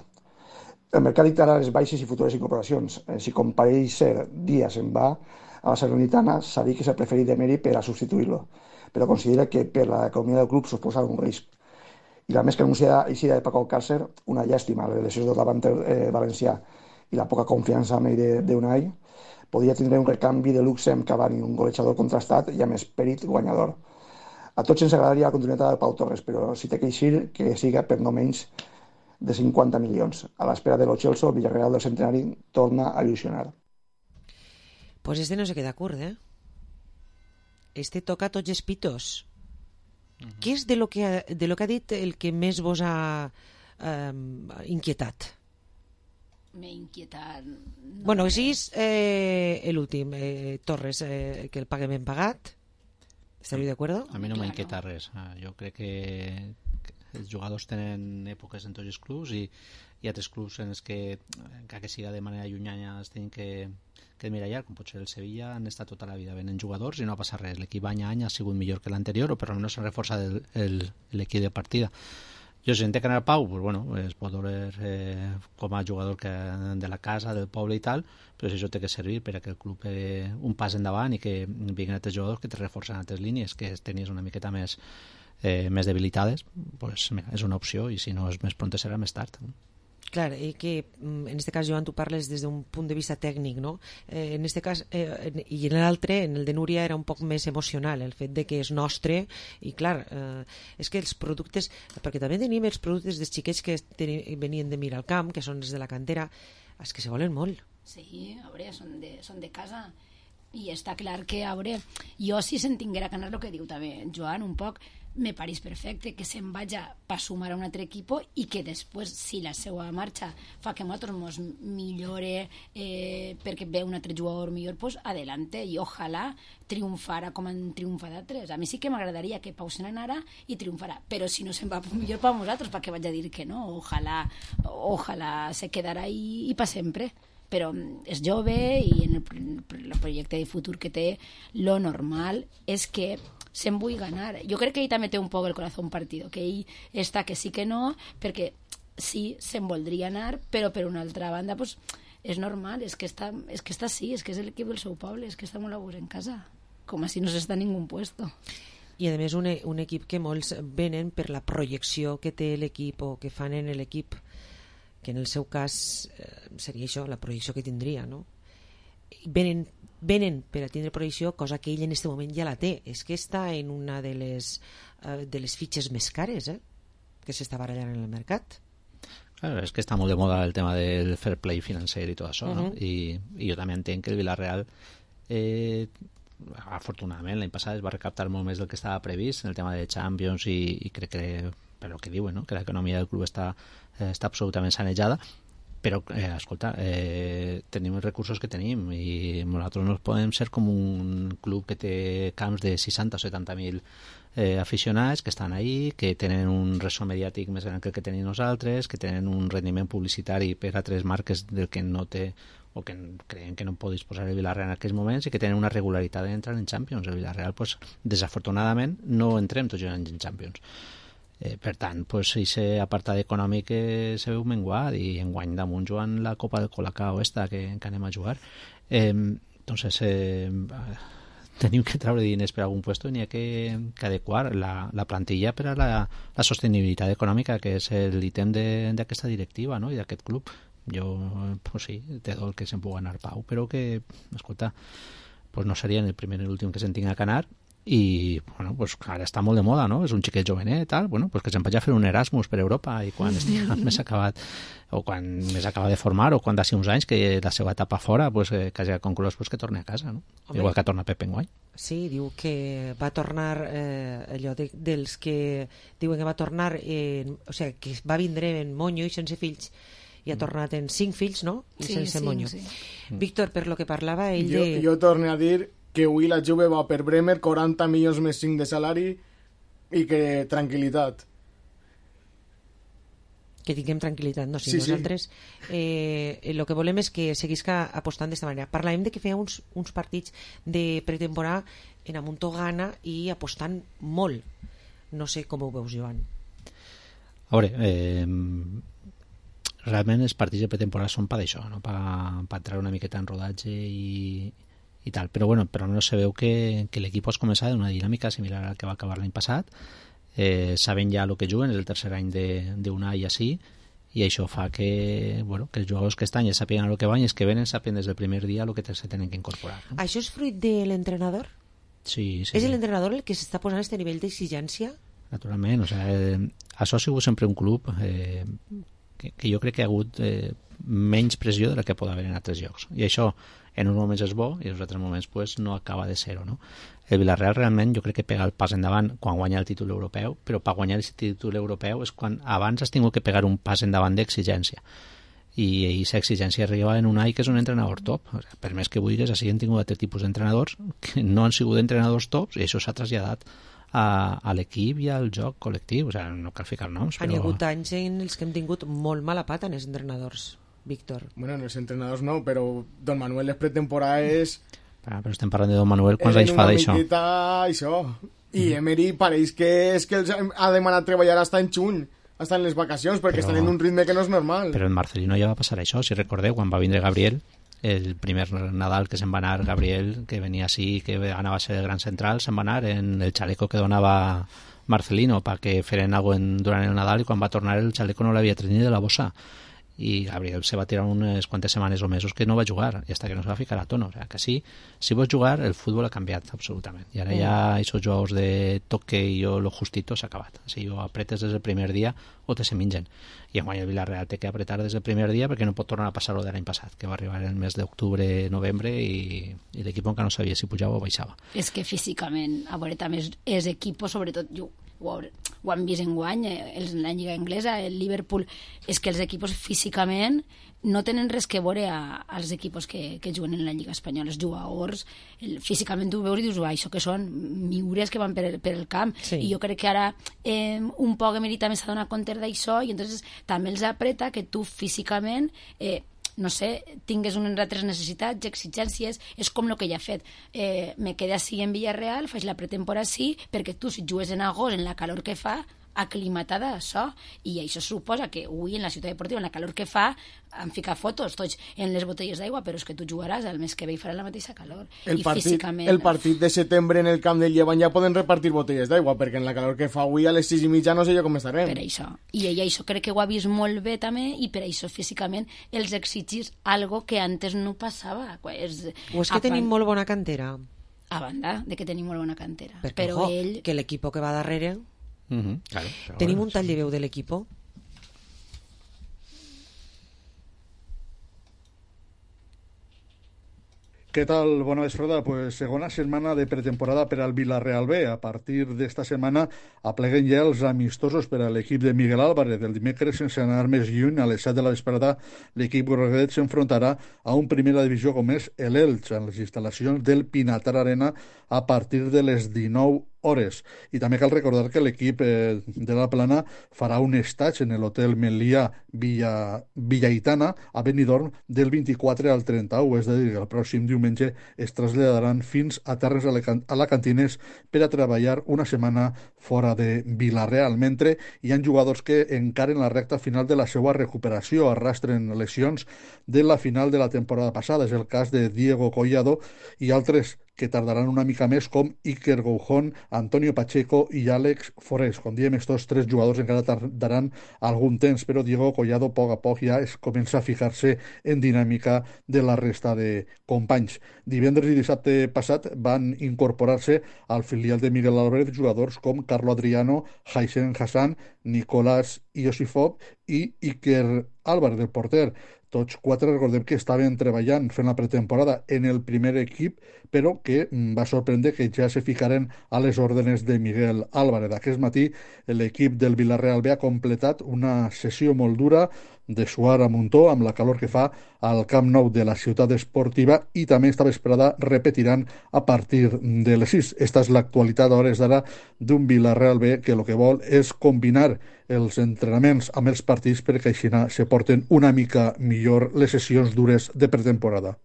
Speaker 21: El mercat dictarà les baixes i futures incorporacions. Si com pareix ser Díaz en va a la Salernitana, s'ha dit que és el preferit d'Emery per a substituir-lo, però considera que per l'economia del club suposa un risc. I la més que anunciada eixida de Paco Alcácer, una llàstima, les lesions del davanter eh, valencià i la poca confiança amb ell d'Unai, podria tindre un recanvi de luxe amb Cavani, un golejador contrastat i amb esperit guanyador. A tots ens agradaria la continuïtat del Pau Torres, però si té que eixir, que siga per no menys de cinquanta milions. A l'espera de lo Chelsea, el Villarreal del Centenari torna a il·lusionar.
Speaker 7: Pues este no se queda curt, eh? Este toca tots els pitos. Uh-huh. Què és de lo, que, de lo que ha dit el que més vos ha eh, inquietat?
Speaker 9: M'he inquietat... No
Speaker 7: bueno, que siguis eh, l'últim, eh, Torres, eh, que el pague ben pagat. ¿Estaríeu d'acord?
Speaker 20: A mi no m'inquieta res. Jo crec que els jugadors tenen èpoques en tots els clubs i hi ha altres clubs en els que, encara que siga de manera llunyana, es tenen que, que mirallar, com pot ser el Sevilla, han estat tota la vida venent jugadors i no ha passat res. L'equip any a any ha sigut millor que l'anterior, o per almenys s'ha reforçat l'equip de partida. Jo si entenc anar a Pau, pues bueno, es pot veure eh, com a jugador que, de la casa, del poble i tal, però si això té que servir per a que el club eh, un pas endavant i que vinguin altres jugadors que te reforcen altres línies, que tenies una miqueta més Eh, més debilitades, pues, mira, és una opció i si no és més pront serà més tard.
Speaker 7: Clar, eh, que en este cas, Joan, tu parles des d'un punt de vista tècnic, no? Eh, en este cas, eh, i en l'altre, en el de Núria, era un poc més emocional, el fet de que és nostre, i clar, eh, és que els productes, perquè també tenim els productes dels xiquets que ten, venien de Mirar al Camp, que són els de la cantera, els que se volen molt.
Speaker 9: Sí, a veure, són de, són de casa. i està clar que, a veure, jo si se'n tinguera que anar, el que diu també Joan, un poc, me pareix perfecte que se'n vaja per sumar a un altre equip i que després, si la seva marxa fa que nosaltres mos millore eh, perquè ve un altre jugador millor, pues adelante, i ojalà triomfara com han triomfat altres. A mi sí que m'agradaria que Pau se n'anara i triomfarà, però si no se'n va millor per nosaltres, perquè vaig a dir que no, ojalà, ojalà se quedarà i, i per sempre. Però és jove i en el, el projecte de futur que té, lo normal és que se'n vull ganar. Jo crec que ell també té un poc el corazón partido, que ell està que sí que no, perquè sí, se'n voldria anar, però per una altra banda pues, és normal, és que està, és que està sí, és que és l'equip del seu poble, és que està molt a gust en casa, com si no s'està en ningú puesto.
Speaker 7: I a més un, un equip que molts venen per la projecció que té l'equip o que fan en l'equip, que en el seu cas eh, seria això, la projecció que tindria, no? Venen, venen per a tindre projecció, cosa que ell en aquest moment ja la té. És que està en una de les, eh, de les fitxes més cares, eh? Que s'està barallant en el mercat.
Speaker 20: Claro, és que està molt de moda el tema del fair play financer i tot això, uh-huh. no? I, i jo també entenc que el Villarreal eh, afortunadament l'any passat es va recaptar molt més del que estava previst en el tema de Champions i, i crec que per el que diuen, no? Que l'economia del club està, eh, està absolutament sanejada, però, eh, escolta, eh, tenim els recursos que tenim i nosaltres no podem ser com un club que té camps de seixanta o setanta mil eh, aficionats que estan ahí, que tenen un ressò mediàtic més gran que el que tenim nosaltres, que tenen un rendiment publicitari per a tres marques del que no té o que creiem que no pot disposar el Villarreal en aquests moments i que tenen una regularitat d'entrar en Champions. El Villarreal, pues, desafortunadament, no entrem tots els anys en Champions. Eh, per tant, pues, aquest apartat econòmic eh, se veu menguat i enguany damunt jugant la Copa del Colacao esta que, que anem a jugar. Eh, entonces eh, tenim que treure diners per algun puesto i n'hi ha que, que adequar la, la plantilla per a la, la sostenibilitat econòmica, que és l'ítem d'aquesta directiva, no? I d'aquest club. Jo, pues sí, té dol que se'n pugui anar Pau, però que, escolta, pues no seria el primer ni l'últim que se'n tinga que anar. I bueno, pues ara està molt de moda, no? És un xiquet jovenet, tal, bueno, pues que se'n vagi a fer un Erasmus per Europa i quan estigui més acabat o quan més acaba de formar o quan d'ací uns anys que la seva etapa fora pues, eh, que hagi conclòs pues, que torni a casa, no? Home, igual que torna Pep enguany.
Speaker 7: Sí, diu que va tornar eh, allò de, dels que diuen que va tornar en, o sigui, que va vindre en monyo i sense fills i ha tornat en cinc fills, no? I
Speaker 9: sí,
Speaker 7: sense
Speaker 9: sí,
Speaker 7: monyo.
Speaker 9: Sí.
Speaker 7: Víctor, per lo que parlava ell
Speaker 8: jo,
Speaker 7: de...
Speaker 8: Jo torno a dir que avui la Juve va per Bremer, quaranta milions més cinc de salari i que tranquil·litat.
Speaker 7: Que tinguem tranquil·litat, no? Si
Speaker 8: sí,
Speaker 7: nosaltres sí. eh, el que volem és que seguisca apostant d'esta manera. Parlàvem de que feia uns, uns partits de pretemporada en Amuntogana i apostant molt. No sé com ho veus, Joan.
Speaker 20: A veure, eh, realment els partits de pretemporada són per això, no? Per, per entrar una miqueta en rodatge i i tal, però bueno, però almenys se veu que, que l'equip has començat d'una dinàmica similar al que va acabar l'any passat, eh, saben ja el que juguen, és el tercer any d'un any així, i això fa que, bueno, que els jugadors que estan ja sàpiguen el que van i els que venen sàpiguen des del primer dia el que se tenen que incorporar. No?
Speaker 7: Això és fruit de l'entrenador?
Speaker 20: Sí, sí.
Speaker 7: És l'entrenador el que s'està posant a aquest nivell d'exigència?
Speaker 20: Naturalment, o sigui, eh, això ha sigut sempre un club eh, que, que jo crec que ha hagut eh, menys pressió de la que pot haver en altres llocs, i això en uns moments és bo i en uns altres moments pues, no acaba de ser-ho, no? El Villarreal realment jo crec que pega el pas endavant quan guanya el títol europeu, però per guanyar el títol europeu és quan abans has tingut que pegar un pas endavant d'exigència i aquesta exigència arriba en un any que és un entrenador top. O sigui, per més que vulguis, així han tingut altres tipus d'entrenadors que no han sigut entrenadors tops i això s'ha traslladat a, a l'equip i al joc col·lectiu, o sigui, no cal ficar noms, però...
Speaker 7: Han hi hagut anys en els que hem tingut molt mala pata en els entrenadors, Víctor.
Speaker 8: Bueno, en els entrenadors no, però Don Manuel és pretemporada és...
Speaker 20: Ah, però estem parlant de Don Manuel, quants anys fa d'això?
Speaker 8: És una això. I Emery pareix que és que els ha demanat treballar hasta en juny, hasta en les vacacions, perquè però... estan en un ritme que no és normal.
Speaker 20: Però en Marcelino ja va passar això, si recordeu, quan va vindre Gabriel, el primer Nadal que se'n va anar Gabriel, que venia així, que anava a ser el gran central, se'n va anar en el xaleco que donava Marcelino perquè feren alguna cosa durant el Nadal i quan va tornar el xaleco no l'havia tret ni de la bossa. i Gabriel se va tirar unes quantes setmanes o mesos que no va jugar i hasta que no se va ficar a tono, o sea, que sí, si vols jugar el futbol ha canviat absolutament i ara mm. ja aquests jugadors de toque i jo lo justito s'ha acabat, si jo apretes des del primer dia o te se mengen i en guany el Villarreal té que apretar des del primer dia perquè no pot tornar a passar lo de l'any passat que va arribar el mes d'octubre, novembre i, i l'equip encara no sabia si pujava o baixava.
Speaker 9: És que físicament, a veure, també és, és equip, sobretot jo ho, ho han vist en guany, eh, la Lliga Anglesa, el Liverpool, és que els equips físicament no tenen res que veure a, als equips que, que juguen en la Lliga Espanyola. Els jugadors, el, físicament tu veus i dius, això que són miures que van per el, per el camp. Sí. I jo crec que ara eh, un poc Emery també s'ha donat compte d'això i entonces també els apreta que tu físicament... Eh, no sé, tingues unes altres necessitats, exigències, és com el que ja ha fet. Eh, me quedé així en Villarreal, faig la pretemporada així, perquè tu, si jugues en agost, en la calor que fa, aclimatada a això, i això suposa que avui en la ciutat deportiva, en la calor que fa, han ficat fotos tots en les botelles d'aigua, però és que tu jugaràs el mes que ve i faràs la mateixa calor.
Speaker 8: El,
Speaker 9: I
Speaker 8: partit,
Speaker 9: físicament...
Speaker 8: el partit de setembre en el camp del Llevant ja poden repartir botelles d'aigua, perquè en la calor que fa avui a les sis i mitja no sé jo com estarem.
Speaker 9: Per això. I ella això crec que ho ha vist molt bé també, i per això físicament els exigís algo que antes no passava. És,
Speaker 7: o és que tenim molt bona cantera.
Speaker 9: A banda de que tenim molt bona cantera.
Speaker 7: Perquè,
Speaker 9: però
Speaker 7: ojo,
Speaker 9: ell...
Speaker 7: que l'equip que va darrere...
Speaker 20: Uh-huh, claro,
Speaker 7: ¿Tenim
Speaker 20: bueno,
Speaker 7: un tall de veu de l'equipo?
Speaker 2: Què tal? Bona vesprada. Pues segona setmana de pretemporada per al Villarreal B. A partir d'esta setmana apleguen ja els amistosos per a l'equip de Miguel Álvarez. El dimecres, sense anar més lluny, a les set de la vesprada, l'equip groguet s'enfrontarà a un primera divisió com és l'Elx, en les instal·lacions del Pinatar Arena, a partir de les dinou hores. I també cal recordar que l'equip eh, de la Plana farà un estatge en l'hotel Melià Villa, Villaitana a Benidorm del vint-i-quatre al trenta-u, és a dir, el pròxim diumenge es traslladaran fins a Terres Alacantines per a treballar una setmana fora de Villarreal, mentre hi ha jugadors que encaren la recta final de la seva recuperació, arrastren lesions de la final de la temporada passada. És el cas de Diego Collado i altres que tardaran una mica més, com Iker Goujón, Antonio Pacheco i Àlex Forés. Com diem, estos tres jugadors encara tardaran algun temps, però Diego Collado a poc a poc ja es comença a fijar-se en dinàmica de la resta de companys. Divendres i dissabte passat van incorporar-se al filial de Miguel Álvarez jugadors com Carlo Adriano, Haisen Hassan, Nicolás Iosifov i Iker Álvarez, el porter. Tots quatre recordem que estaven treballant fent la pretemporada en el primer equip, però que va sorprendre que ja se ficaren a les òrdenes de Miguel Álvarez. Aquest matí l'equip del Villarreal B ha completat una sessió molt dura de suar a muntó amb la calor que fa al Camp Nou de la ciutat esportiva i també esta vesprada repetiran a partir de les sis. Esta és l'actualitat a hores d'ara d'un Villarreal B que el que vol és combinar els entrenaments amb els partits perquè així se porten una mica millor les sessions dures de pretemporada.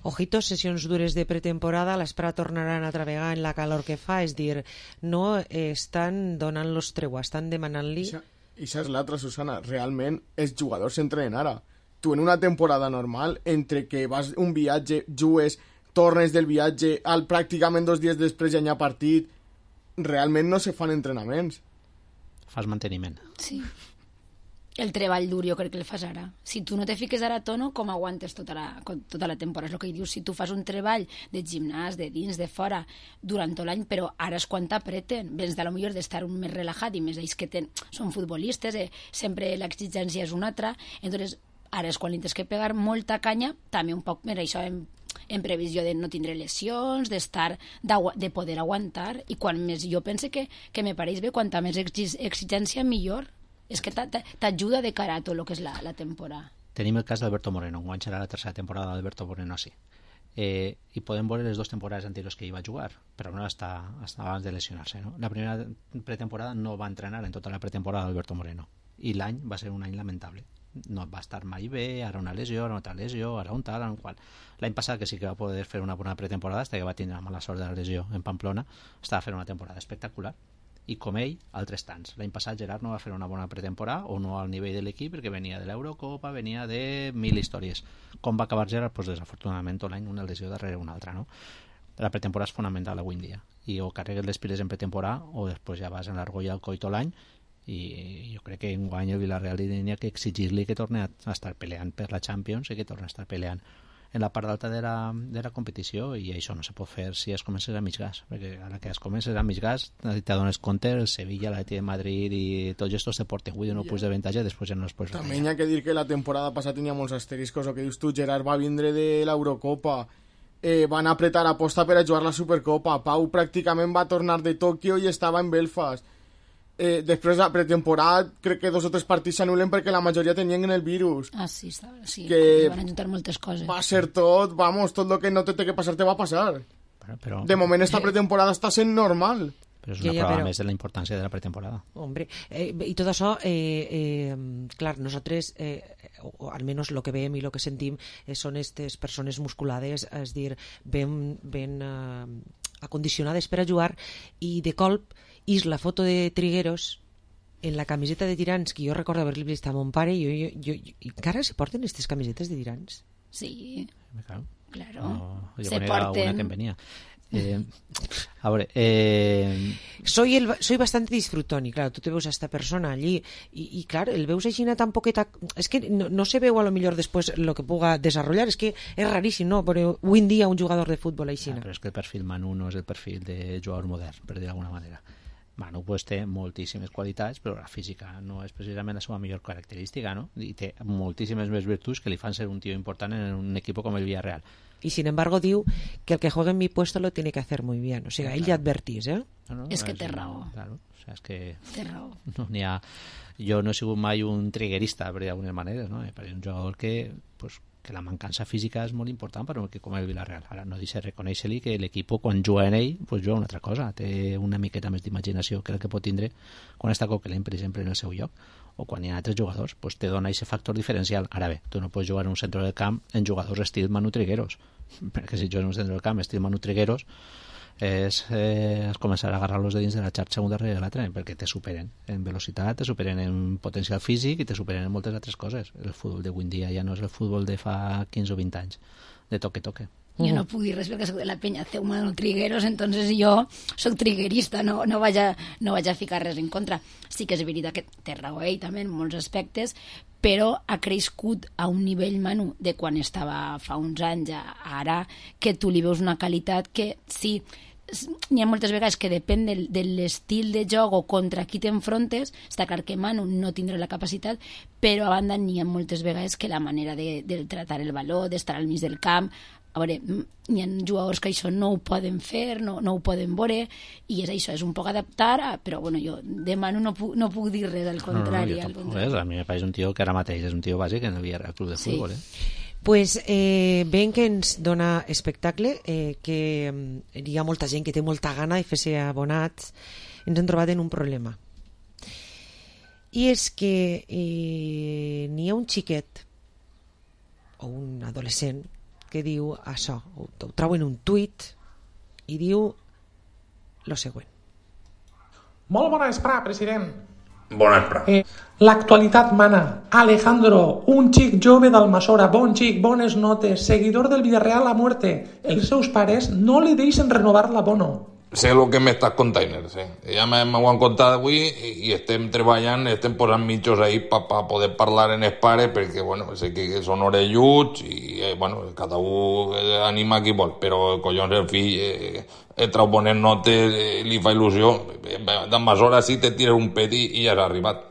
Speaker 7: Ojitos, sessions dures de pretemporada, l'Espera tornaran a travegar en la calor que fa, és dir, no estan donant-los treua, estan demanant-li...
Speaker 8: I això és l'altra, Susana, realment els jugadors s'entrenen ara. Tu en una temporada normal, entre que vas un viatge, jugues, tornes del viatge, al pràcticament dos dies després ja hi ha partit, realment no se fan entrenaments.
Speaker 20: Fas manteniment.
Speaker 9: Sí. El treball dur jo crec que el fas ara. Si tu no te fiques ara a tono, com aguantes tota la, tota la temporada? És el que dius, si tu fas un treball de gimnàs, de dins, de fora, durant tot l'any, però ara és quan t'apreten. Vens de lo millor d'estar un més relaxat i més ells que ten, són futbolistes, eh? Sempre l'exigència és una altra, entonces ara és quan li tens que pegar molta canya, també un poc més això en, en previsió de no tindre lesions, d'estar, de poder aguantar, i quan més jo pense que, que me pareix bé, quanta més exigència millor. És que t'ajuda de cara a tot el que és la, la temporada.
Speaker 20: Tenim el cas d'Alberto Moreno, enguany serà la tercera temporada d'Alberto Moreno així. Eh, I podem veure les dues temporades anteriors que hi va jugar, però no està, està abans de lesionar-se. No? La primera pretemporada no va entrenar en tota la pretemporada d'Alberto Moreno, i l'any va ser un any lamentable. No va estar mai bé, ara una lesió, ara una tal lesió, ara un tal, ara un qual. L'any passat que sí que va poder fer una bona pretemporada, fins que va tindre la mala sort de la lesió en Pamplona, estava fent una temporada espectacular. I com ell, altres tants. L'any passat Gerard no va fer una bona pretemporada, o no al nivell de l'equip, perquè venia de l'Eurocopa, venia de mil històries. Com va acabar Gerard? Pues, desafortunadament tot l'any una lesió darrere una altra, no? La pretemporada és fonamental avui en dia, i o carregues les piles en pretemporada o després ja vas en l'argolla al coi tot l'any i jo crec que enguany el Villarreal li tenia que exigir-li que torni a estar peleant per la Champions i que torni a estar peleant en la part alta de la, de la competició, i això no se pot fer si es comences a mig gas, perquè ara que es comences a mig gas te dones compte el Sevilla, l'Atlètic de Madrid i tots estos te porten avui no punts d'avantatge, després ja no els pots
Speaker 8: també hi ha que dir que la temporada passada tenia molts asteriscos, el que dius tu, Gerard va vindre de l'Eurocopa, eh, van apretar aposta per a jugar la Supercopa, Pau pràcticament va tornar de Tòquio i estava en Belfast. Eh, després de la pretemporada crec que dos o tres partits s'anulen perquè la majoria tenien en el virus.
Speaker 9: Ah, sí, estava, sí.
Speaker 8: Que
Speaker 9: van ajuntar moltes coses.
Speaker 8: Va ser tot, vamos, tot el que no té que passar te va passar.
Speaker 20: Però, però...
Speaker 8: De moment esta pretemporada està sent normal.
Speaker 20: Però és una
Speaker 7: ja, ja,
Speaker 20: prova
Speaker 7: però...
Speaker 20: més de la importància de la pretemporada.
Speaker 7: Hombre, eh, y todo eso, eh, eh, clar, nosotros, eh, o al menos lo que veiem i lo que sentim, eh, són aquestes persones musculades, és dir, ben, ben eh, acondicionades per a jugar, i de colp és la foto de Trigueros en la camiseta de tirants, que jo recordo haver-li vist a mon pare, i jo, jo, jo, i encara se porten aquestes camisetes de tirants?
Speaker 9: Sí,
Speaker 20: claro,
Speaker 9: claro.
Speaker 20: No,
Speaker 9: se porten.
Speaker 20: Una que em venia. Eh, a veure, eh...
Speaker 7: soy, el, soy bastante disfrutón, y claro, tú te veus a esta persona allí, y, y claro, el veus així tan poqueta, es que no, no se veu a lo millor después lo que puga desarrollar, es que es raríssim, no? Però avui en dia un jugador de futbol així.
Speaker 20: Ah, però és que el perfil Manu no és el perfil de jugador modern, per dir d'alguna manera. Manu pues, té moltíssimes qualitats, però la física no és precisament la seva millor característica, no? I té moltíssimes més virtuts que li fan ser un tio important en un equip com el Villarreal.
Speaker 7: Y sin embargo diu que el que juegue en mi puesto lo tiene que hacer muy bien. O sea, ell ja advertís, eh?
Speaker 20: No, no,
Speaker 9: és que té raó.
Speaker 20: Claro, o sea, és que...
Speaker 9: Té raó.
Speaker 20: No, n'hi ha... Jo no he sigut mai un triguerista, per d'alguna manera, no? Per un jugador que, pues, que la mancança física és molt important per un equip com el Villarreal. Ara no deixa reconèixer-li que l'equip quan juga en ell pues, juga una altra cosa, té una miqueta més d'imaginació que el que pot tindre quan està Coquelin, per exemple, en el seu lloc, o quan hi ha altres jugadors, pues, te dona aquest factor diferencial. Ara bé, tu no pots jugar en un centre del camp en jugadors estil Manu Trigueros, perquè si jugues en un centre del camp estil Manu Trigueros és, eh, és començar a agarrar-los de dins de la xarxa un darrere de l'altre, perquè te superen en velocitat, te superen en potencial físic i te superen en moltes altres coses. El futbol d'avui en dia ja no és el futbol de fa quinze o vint anys, de toque-toque.
Speaker 9: Jo no puc dir res perquè soc de la penya Ceu Manu Trigueros, entonces jo soc triguerista, no, no, vaig a, no vaig a ficar res en contra. Sí que és veritat que té raó ell també en molts aspectes, però ha crescut a un nivell, Manu, de quan estava fa uns anys a ara, que tu li veus una qualitat que sí, n'hi ha moltes vegades que depèn del, de l'estil de joc o contra qui t'enfrontes. Està clar que Manu no tindrà la capacitat, però a banda n'hi ha moltes vegades que la manera de, de tratar el valor, d'estar al mig del camp, a veure, hi ha jugadors que això no ho poden fer, no, no ho poden veure, i és això, és un poc adaptar, a, però bueno, jo de Manu no puc, no puc dir res, al contrari.
Speaker 20: No, no, jo tampoc, a mi me pareix un tio que ara mateix és un tio bàsic en el Villarreal Club de
Speaker 9: sí.
Speaker 20: Futbol, eh?
Speaker 7: Pues eh, ben que ens dona espectacle, eh, que eh, hi ha molta gent que té molta gana de fer-se abonats, ens hem trobat en un problema. I és que eh, n'hi ha un xiquet o un adolescent que diu això, ho, ho trobo en un tuit i diu lo següent.
Speaker 4: Molt bona vesprà, president.
Speaker 22: Bona vesprà.
Speaker 4: Eh, L'actualitat mana. Alejandro, un xic jove d'Almassora, bon xic, bones notes, seguidor del Villarreal a muerte. Els seus pares no li deixen renovar l'abono.
Speaker 22: Sé lo que m'estàs contant, sí. Ja m'ho han contat avui i, i estem treballant, estem posant mitjos ahí per pa poder parlar en els pares, perquè, bueno, sé que són orelluts i, eh, bueno, cada un anima qui vol, però, collons, el fill eh, eh, trau bones notes, eh, li fa il·lusió, d'ambes hores sí te tires un pet i, i ja has arribat.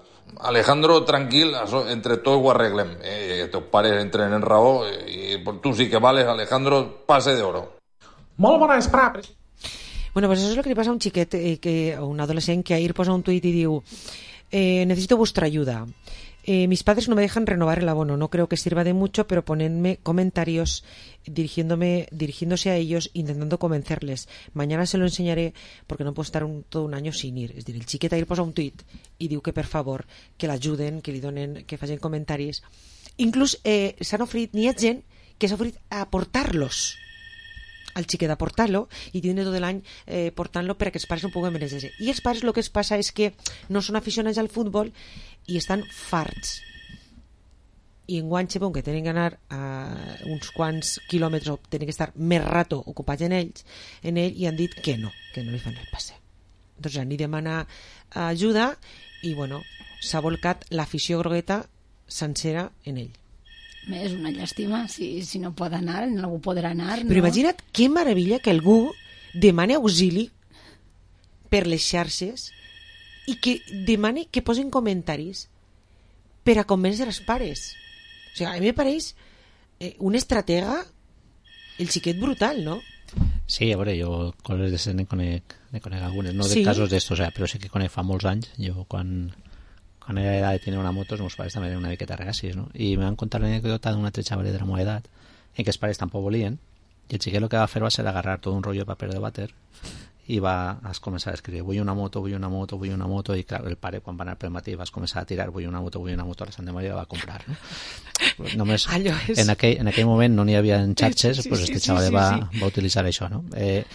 Speaker 22: Alejandro, tranquil, això, entre tots ho arreglem. Eh, teus pares entren en raó eh, i tu sí que vales, Alejandro, pase de oro.
Speaker 4: Molt bona vesprà, president.
Speaker 7: Bueno, pues eso es lo que le pasa a un chiquet, eh, que, o un adolescente que ahí posa un tuit y diu eh, necesito vuestra ayuda. Eh, mis padres no me dejan renovar el abono, no creo que sirva de mucho, pero ponedme comentarios dirigiéndome, dirigiéndose a ellos, intentando convencerles. Mañana se lo enseñaré porque no puedo estar un, todo un año sin ir. Es decir, el xiquet ahí posa un tuit i diu que per favor que l'ajuden, que li donen, que facin comentaris. Inclús eh, s'han ofrit, n'hi ha gent que s'ha ofrit a portar-los al xiquet a portar-lo i tiene tot l'any eh, portant-lo perquè els pares no puguen benejar-se. I els pares el que es passa és que no són aficionats al futbol i estan farts. I enguany sabeu que tenen que anar a uns quants quilòmetres, tenen que estar més rato ocupats en ells, en ell, i han dit que no, que no li fan el passe. Doncs ja n'hi demana ajuda i, bueno, s'ha volcat l'afició grogueta sencera en ell.
Speaker 9: És una llàstima, si, si no pot anar, algú podrà anar.
Speaker 7: Però
Speaker 9: no?
Speaker 7: imagina't que meravella que algú demani auxili per les xarxes i que demani que posin comentaris per a convèncer els pares. O sigui, a mi me pareix eh, un estratega, el xiquet brutal, ¿no?
Speaker 20: Sí, a veure, jo coses de ne conec, ne conec algunes, no de
Speaker 7: sí.
Speaker 20: casos d'estos, o sea, però sí que conec fa molts anys. Jo quan... quan era edad de tenir una moto, els meus pares també eren una miqueta regacis, no? I me van contar l'anècdota d'una altre xaval de la meva edat en què els pares tampoc volien i el xiquet el que va fer va ser agarrar tot un rotllo de paper de vàter i va a començar a escriure vull una moto, vull una moto, vull una moto i clar, el pare quan va anar pel matí vas començar a tirar vull una moto, vull una moto, a la Santa Maria la va comprar, no? Només
Speaker 7: és...
Speaker 20: en, aquell, en aquell moment no n'hi havia xarxes, sí, pues
Speaker 7: sí,
Speaker 20: este
Speaker 7: sí,
Speaker 20: xaval
Speaker 7: sí,
Speaker 20: va,
Speaker 7: sí.
Speaker 20: va utilitzar això, no? Eh,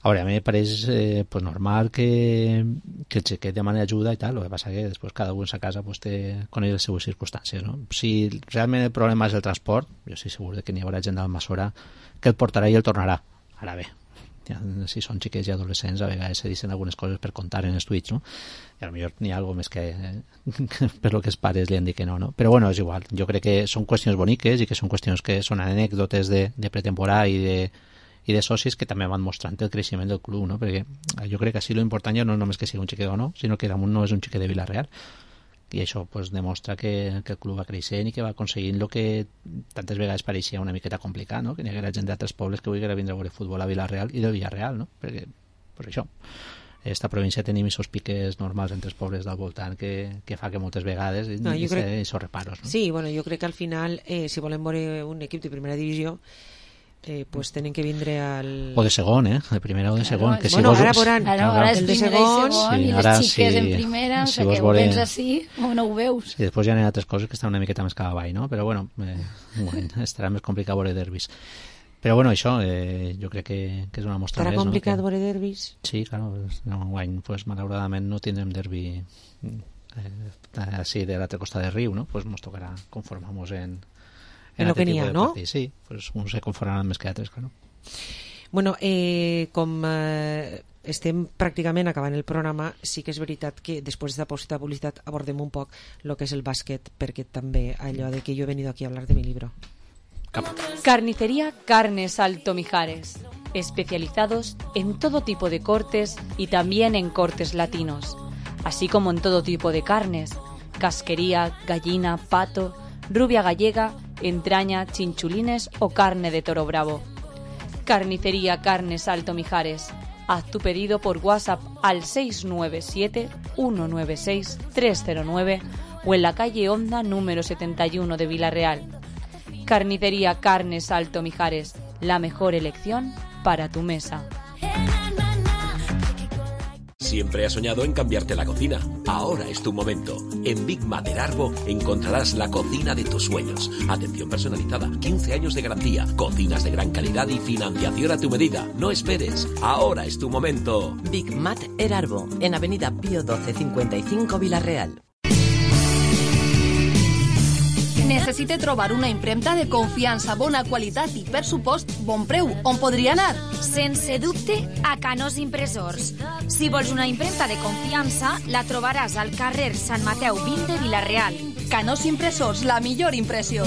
Speaker 20: a veure, a mi me pareix eh, pues normal que, que el xiquet demani ajuda i tal, el que passa que després cada un en sa casa pues, té, coneix les seues circumstàncies, no? Si realment el problema és el transport, jo estic segur de que n'hi haurà gent d'Almassora que el portarà i el tornarà. Ara bé, ja, si són xiquets i adolescents a vegades se dicen algunes coses per contar en els tuits, no? I potser n'hi ha alguna més que, que per lo que els pares li han dit que no, no? Però bueno, és igual, jo crec que són qüestions boniques i que són qüestions que són anècdotes de, de pretemporada i de i de socis que també van mostrant el creixement del club, no? Perquè jo crec que així l'important ja no és només que sigui un xiquet o no, sinó que damunt no és un xiquet de Vila-real i això pues, demostra que, que el club va creixent i que va aconseguint el que tantes vegades pareixia una miqueta complicat, no? Que n'hi haguera gent d'altres pobles que volguera vindre a veure futbol a Vila-real i del Villarreal, no? Perquè, per això esta província tenim aquests piques normals entre els pobles del voltant que, que fa que moltes vegades
Speaker 7: no,
Speaker 20: i
Speaker 7: crec...
Speaker 20: aquests reparos, no?
Speaker 7: Sí, bueno, jo crec que al final eh, si volem veure un equip de primera divisió Eh, pues tenen que vindre al...
Speaker 20: O de segon, eh? De primera o de segon.
Speaker 7: Claro, que si bueno, vos... ara veuran
Speaker 9: claro, ara és
Speaker 7: el de
Speaker 9: segon,
Speaker 7: segon
Speaker 9: sí, i les xiques si, en primera, si o sigui que ho vens així o no ho veus.
Speaker 20: I després ja hi ha altres coses que estan una miqueta més cap avall, no? Però bueno, eh, bueno estarà més complicat veure derbis. Però bueno, això eh, jo crec que, que és una mostra
Speaker 7: estarà
Speaker 20: més.
Speaker 7: Estarà complicat
Speaker 20: no?
Speaker 7: veure derbis?
Speaker 20: Sí, claro, no, guany, pues, malauradament no tindrem derbi eh, així de l'altre costat del riu, no? Pues nos tocarà conformar-nos en
Speaker 7: en lo que n'hi ha, no?
Speaker 20: Partit. Sí, pues uns se conformaran més que altres, claro.
Speaker 7: Bueno, eh, com eh, estem pràcticament acabant el programa, sí que és veritat que després de la publicitat abordem un poc el que és el bàsquet, perquè també allò de que jo he venido aquí a hablar de mi libro.
Speaker 20: Cap.
Speaker 11: Carnicería Carnes Alto Mijares, especializados en todo tipo de cortes y también en cortes latinos, así como en todo tipo de carnes, casquería, gallina, pato, rubia gallega, entraña, chinchulines o carne de toro bravo. Carnicería Carnes Alto Mijares. Haz tu pedido por WhatsApp al seis nueve siete, uno nueve seis, tres cero nueve o en la calle Honda número setenta y uno de Vila-real. Carnicería Carnes Alto Mijares. La mejor elección para tu mesa.
Speaker 1: Siempre has soñado en cambiarte la cocina. Ahora es tu momento. En Big Mater Arbo encontrarás la cocina de tus sueños. Atención personalizada, quince años de garantía, cocinas de gran calidad y financiación a tu medida. No esperes. Ahora es tu momento.
Speaker 6: Big Mater Arbo, en Avenida Pío doce cincuenta y cinco Vila-real.
Speaker 5: Necessite trobar una impremta de confiança, bona qualitat i, per supost, bon preu. On podria anar?
Speaker 23: Sense dubte, a Canós Impressors. Si vols una impremta de confiança, la trobaràs al carrer Sant Mateu vint de Vila-real.
Speaker 5: Canós Impressors, la millor impressió.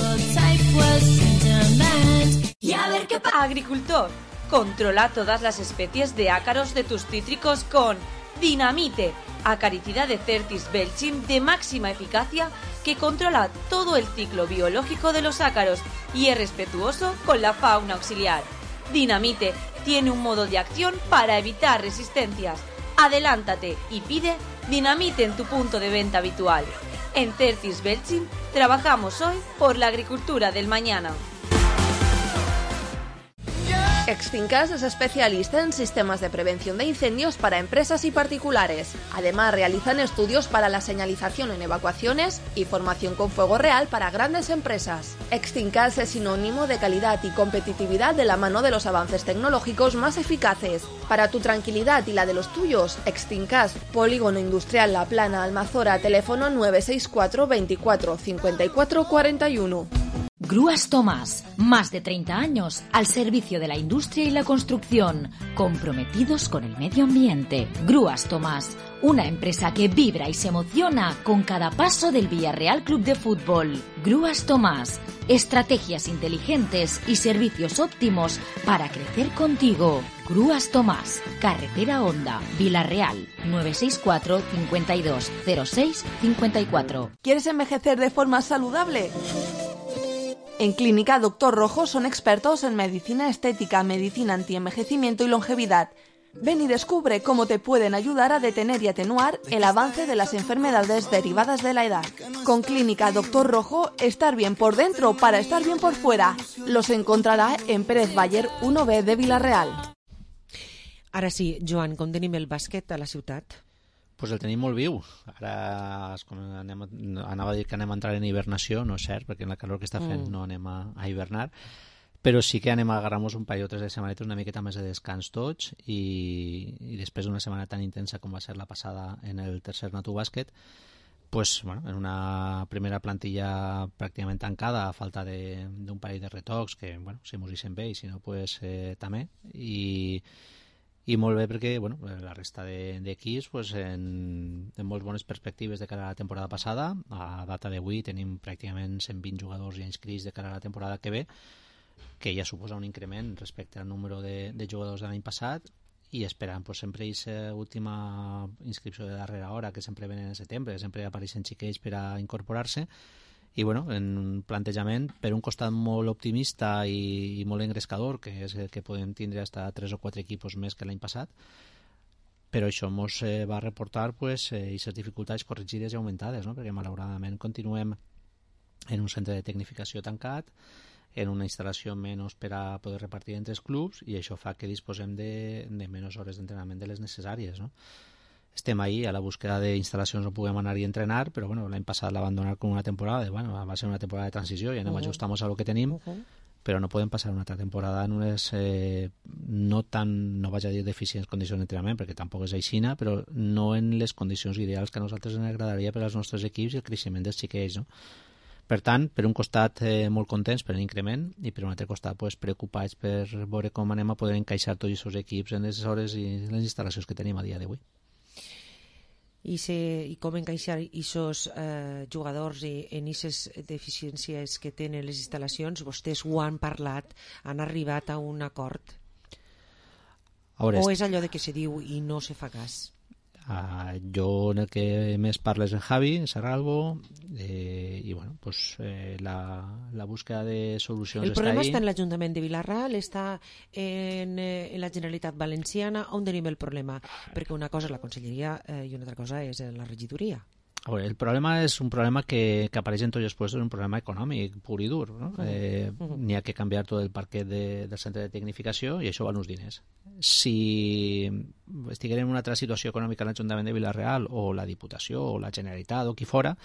Speaker 11: Agricultor, controla todas las especies de ácaros de tus cítricos con Dinamite, acaricida de Certis Belchim de máxima eficacia que controla todo el ciclo biológico de los ácaros y es respetuoso con la fauna auxiliar. Dinamite tiene un modo de acción para evitar resistencias. Adelántate y pide Dinamite en tu punto de venta habitual. En Certis Belchim trabajamos hoy por la agricultura del mañana.
Speaker 5: Exfincas es especialista en sistemas de prevención de incendios para empresas y particulares. Además, realizan estudios para la señalización en evacuaciones y formación con fuego real para grandes empresas. Exfincas es sinónimo de calidad y competitividad de la mano de los avances tecnológicos más eficaces. Para tu tranquilidad y la de los tuyos, Exfincas, Polígono Industrial La Plana, Almazora, teléfono nueve seis cuatro veinticuatro cincuenta y cuatro cuarenta y uno.
Speaker 3: Grúas Tomás, más de treinta años al servicio de la industria y la construcción, comprometidos con el medio ambiente. Grúas Tomás, una empresa que vibra y se emociona con cada paso del Villarreal Club de Fútbol. Grúas Tomás, estrategias inteligentes y servicios óptimos para crecer contigo. Grúas Tomás, Carretera Honda, Villarreal, nueve seis cuatro, cincuenta y dos, cero seis, cincuenta y cuatro.
Speaker 10: ¿Quieres envejecer de forma saludable? En Clínica Doctor Rojo son expertos en medicina estética, medicina antienvejecimiento y longevidad. Ven y descubre cómo te pueden ayudar a detener y atenuar el avance de las enfermedades derivadas de la edad. Con Clínica Doctor Rojo, estar bien por dentro para estar bien por fuera. Los encontrará en Pérez Baller uno B de Villarreal.
Speaker 7: Ara sí, Joan, com tenim el bàsquet a la ciutat?
Speaker 20: Pues el tenim molt viu. Ara anem, anava a dir que anem a entrar en hibernació, no és cert, perquè en la calor que està fent mm. no anem a, a hibernar, però sí que anem a agarrar-nos un parell o tres de setmanetes una miqueta més de descans tots i, i després d'una setmana tan intensa com va ser la passada en el tercer Natu Bàsquet, pues, bueno, en una primera plantilla pràcticament tancada, a falta d'un parell de retocs, que bueno, si mos deixen bé i si no, pues, eh, també, i i molt bé perquè bueno, la resta d'equips pues, en, en molt bones perspectives de cara a la temporada passada. A data d'avui tenim pràcticament cent vint jugadors ja inscrits de cara a la temporada que ve, que ja suposa un increment respecte al número de, de jugadors de l'any passat, i esperant pues, sempre aquesta última inscripció de darrera hora, que sempre venen en setembre, sempre apareixen xiquets per a incorporar-se. I bueno, en un plantejament per un costat molt optimista i, i molt engrescador, que és que podem tindre hasta tres o quatre equipos més que l'any passat, però això ens eh, va reportar pues, eh, aquestes dificultats corregides i augmentades, no? Perquè malauradament continuem en un centre de tecnificació tancat, en una instal·lació menys per a poder repartir entre els clubs, i això fa que disposem de, de menys hores d'entrenament de les necessàries, no? Estem ahí a la búsqueda d'instal·lacions on puguem anar i entrenar, però bueno, l'any passat l'abandonar com una temporada, bueno, va ser una temporada de transició i anem uh -huh. ajustar-nos a lo que tenim, uh -huh. però no podem passar una altra temporada en unes eh, no tan, no vaig a dir deficients condicions d'entrenament, perquè tampoc és aixina, però no en les condicions ideals que a nosaltres ens agradaria per als nostres equips i el creixement dels xiquets, no? Per tant, per un costat eh, molt contents per l'increment i per un altre costat pues, preocupats per veure com anem a poder encaixar tots els equips en les hores i les instal·lacions que tenim a dia d'avui.
Speaker 7: I, se, i com encaixar aquests eh, jugadors i, en aquestes deficiències que tenen les instal·lacions? Vostès ho han parlat, han arribat a un acord?
Speaker 20: Veure,
Speaker 7: o és allò de que se diu i no se fa cas?
Speaker 20: Uh, jo en el que més parlo és en Javi, en Serralbo, eh, i bueno, pues, eh, la, la búsqueda de solucions
Speaker 7: el
Speaker 20: està ahí.
Speaker 7: El problema està en l'Ajuntament de Vilarreal, està en, en la Generalitat Valenciana. On tenim el problema? Perquè una cosa és la Conselleria eh, i una altra cosa és la regidoria.
Speaker 20: A veure, el problema és un problema que, que apareix en tots els puestos, un problema econòmic pur i dur, no? Uh-huh. eh, uh-huh. N'hi ha que canviar tot el parquet de, del centre de tecnificació i això val uns diners. Si estiguem en una altra situació econòmica a l'Ajuntament de Vilarreal o la Diputació o la Generalitat o qui fora,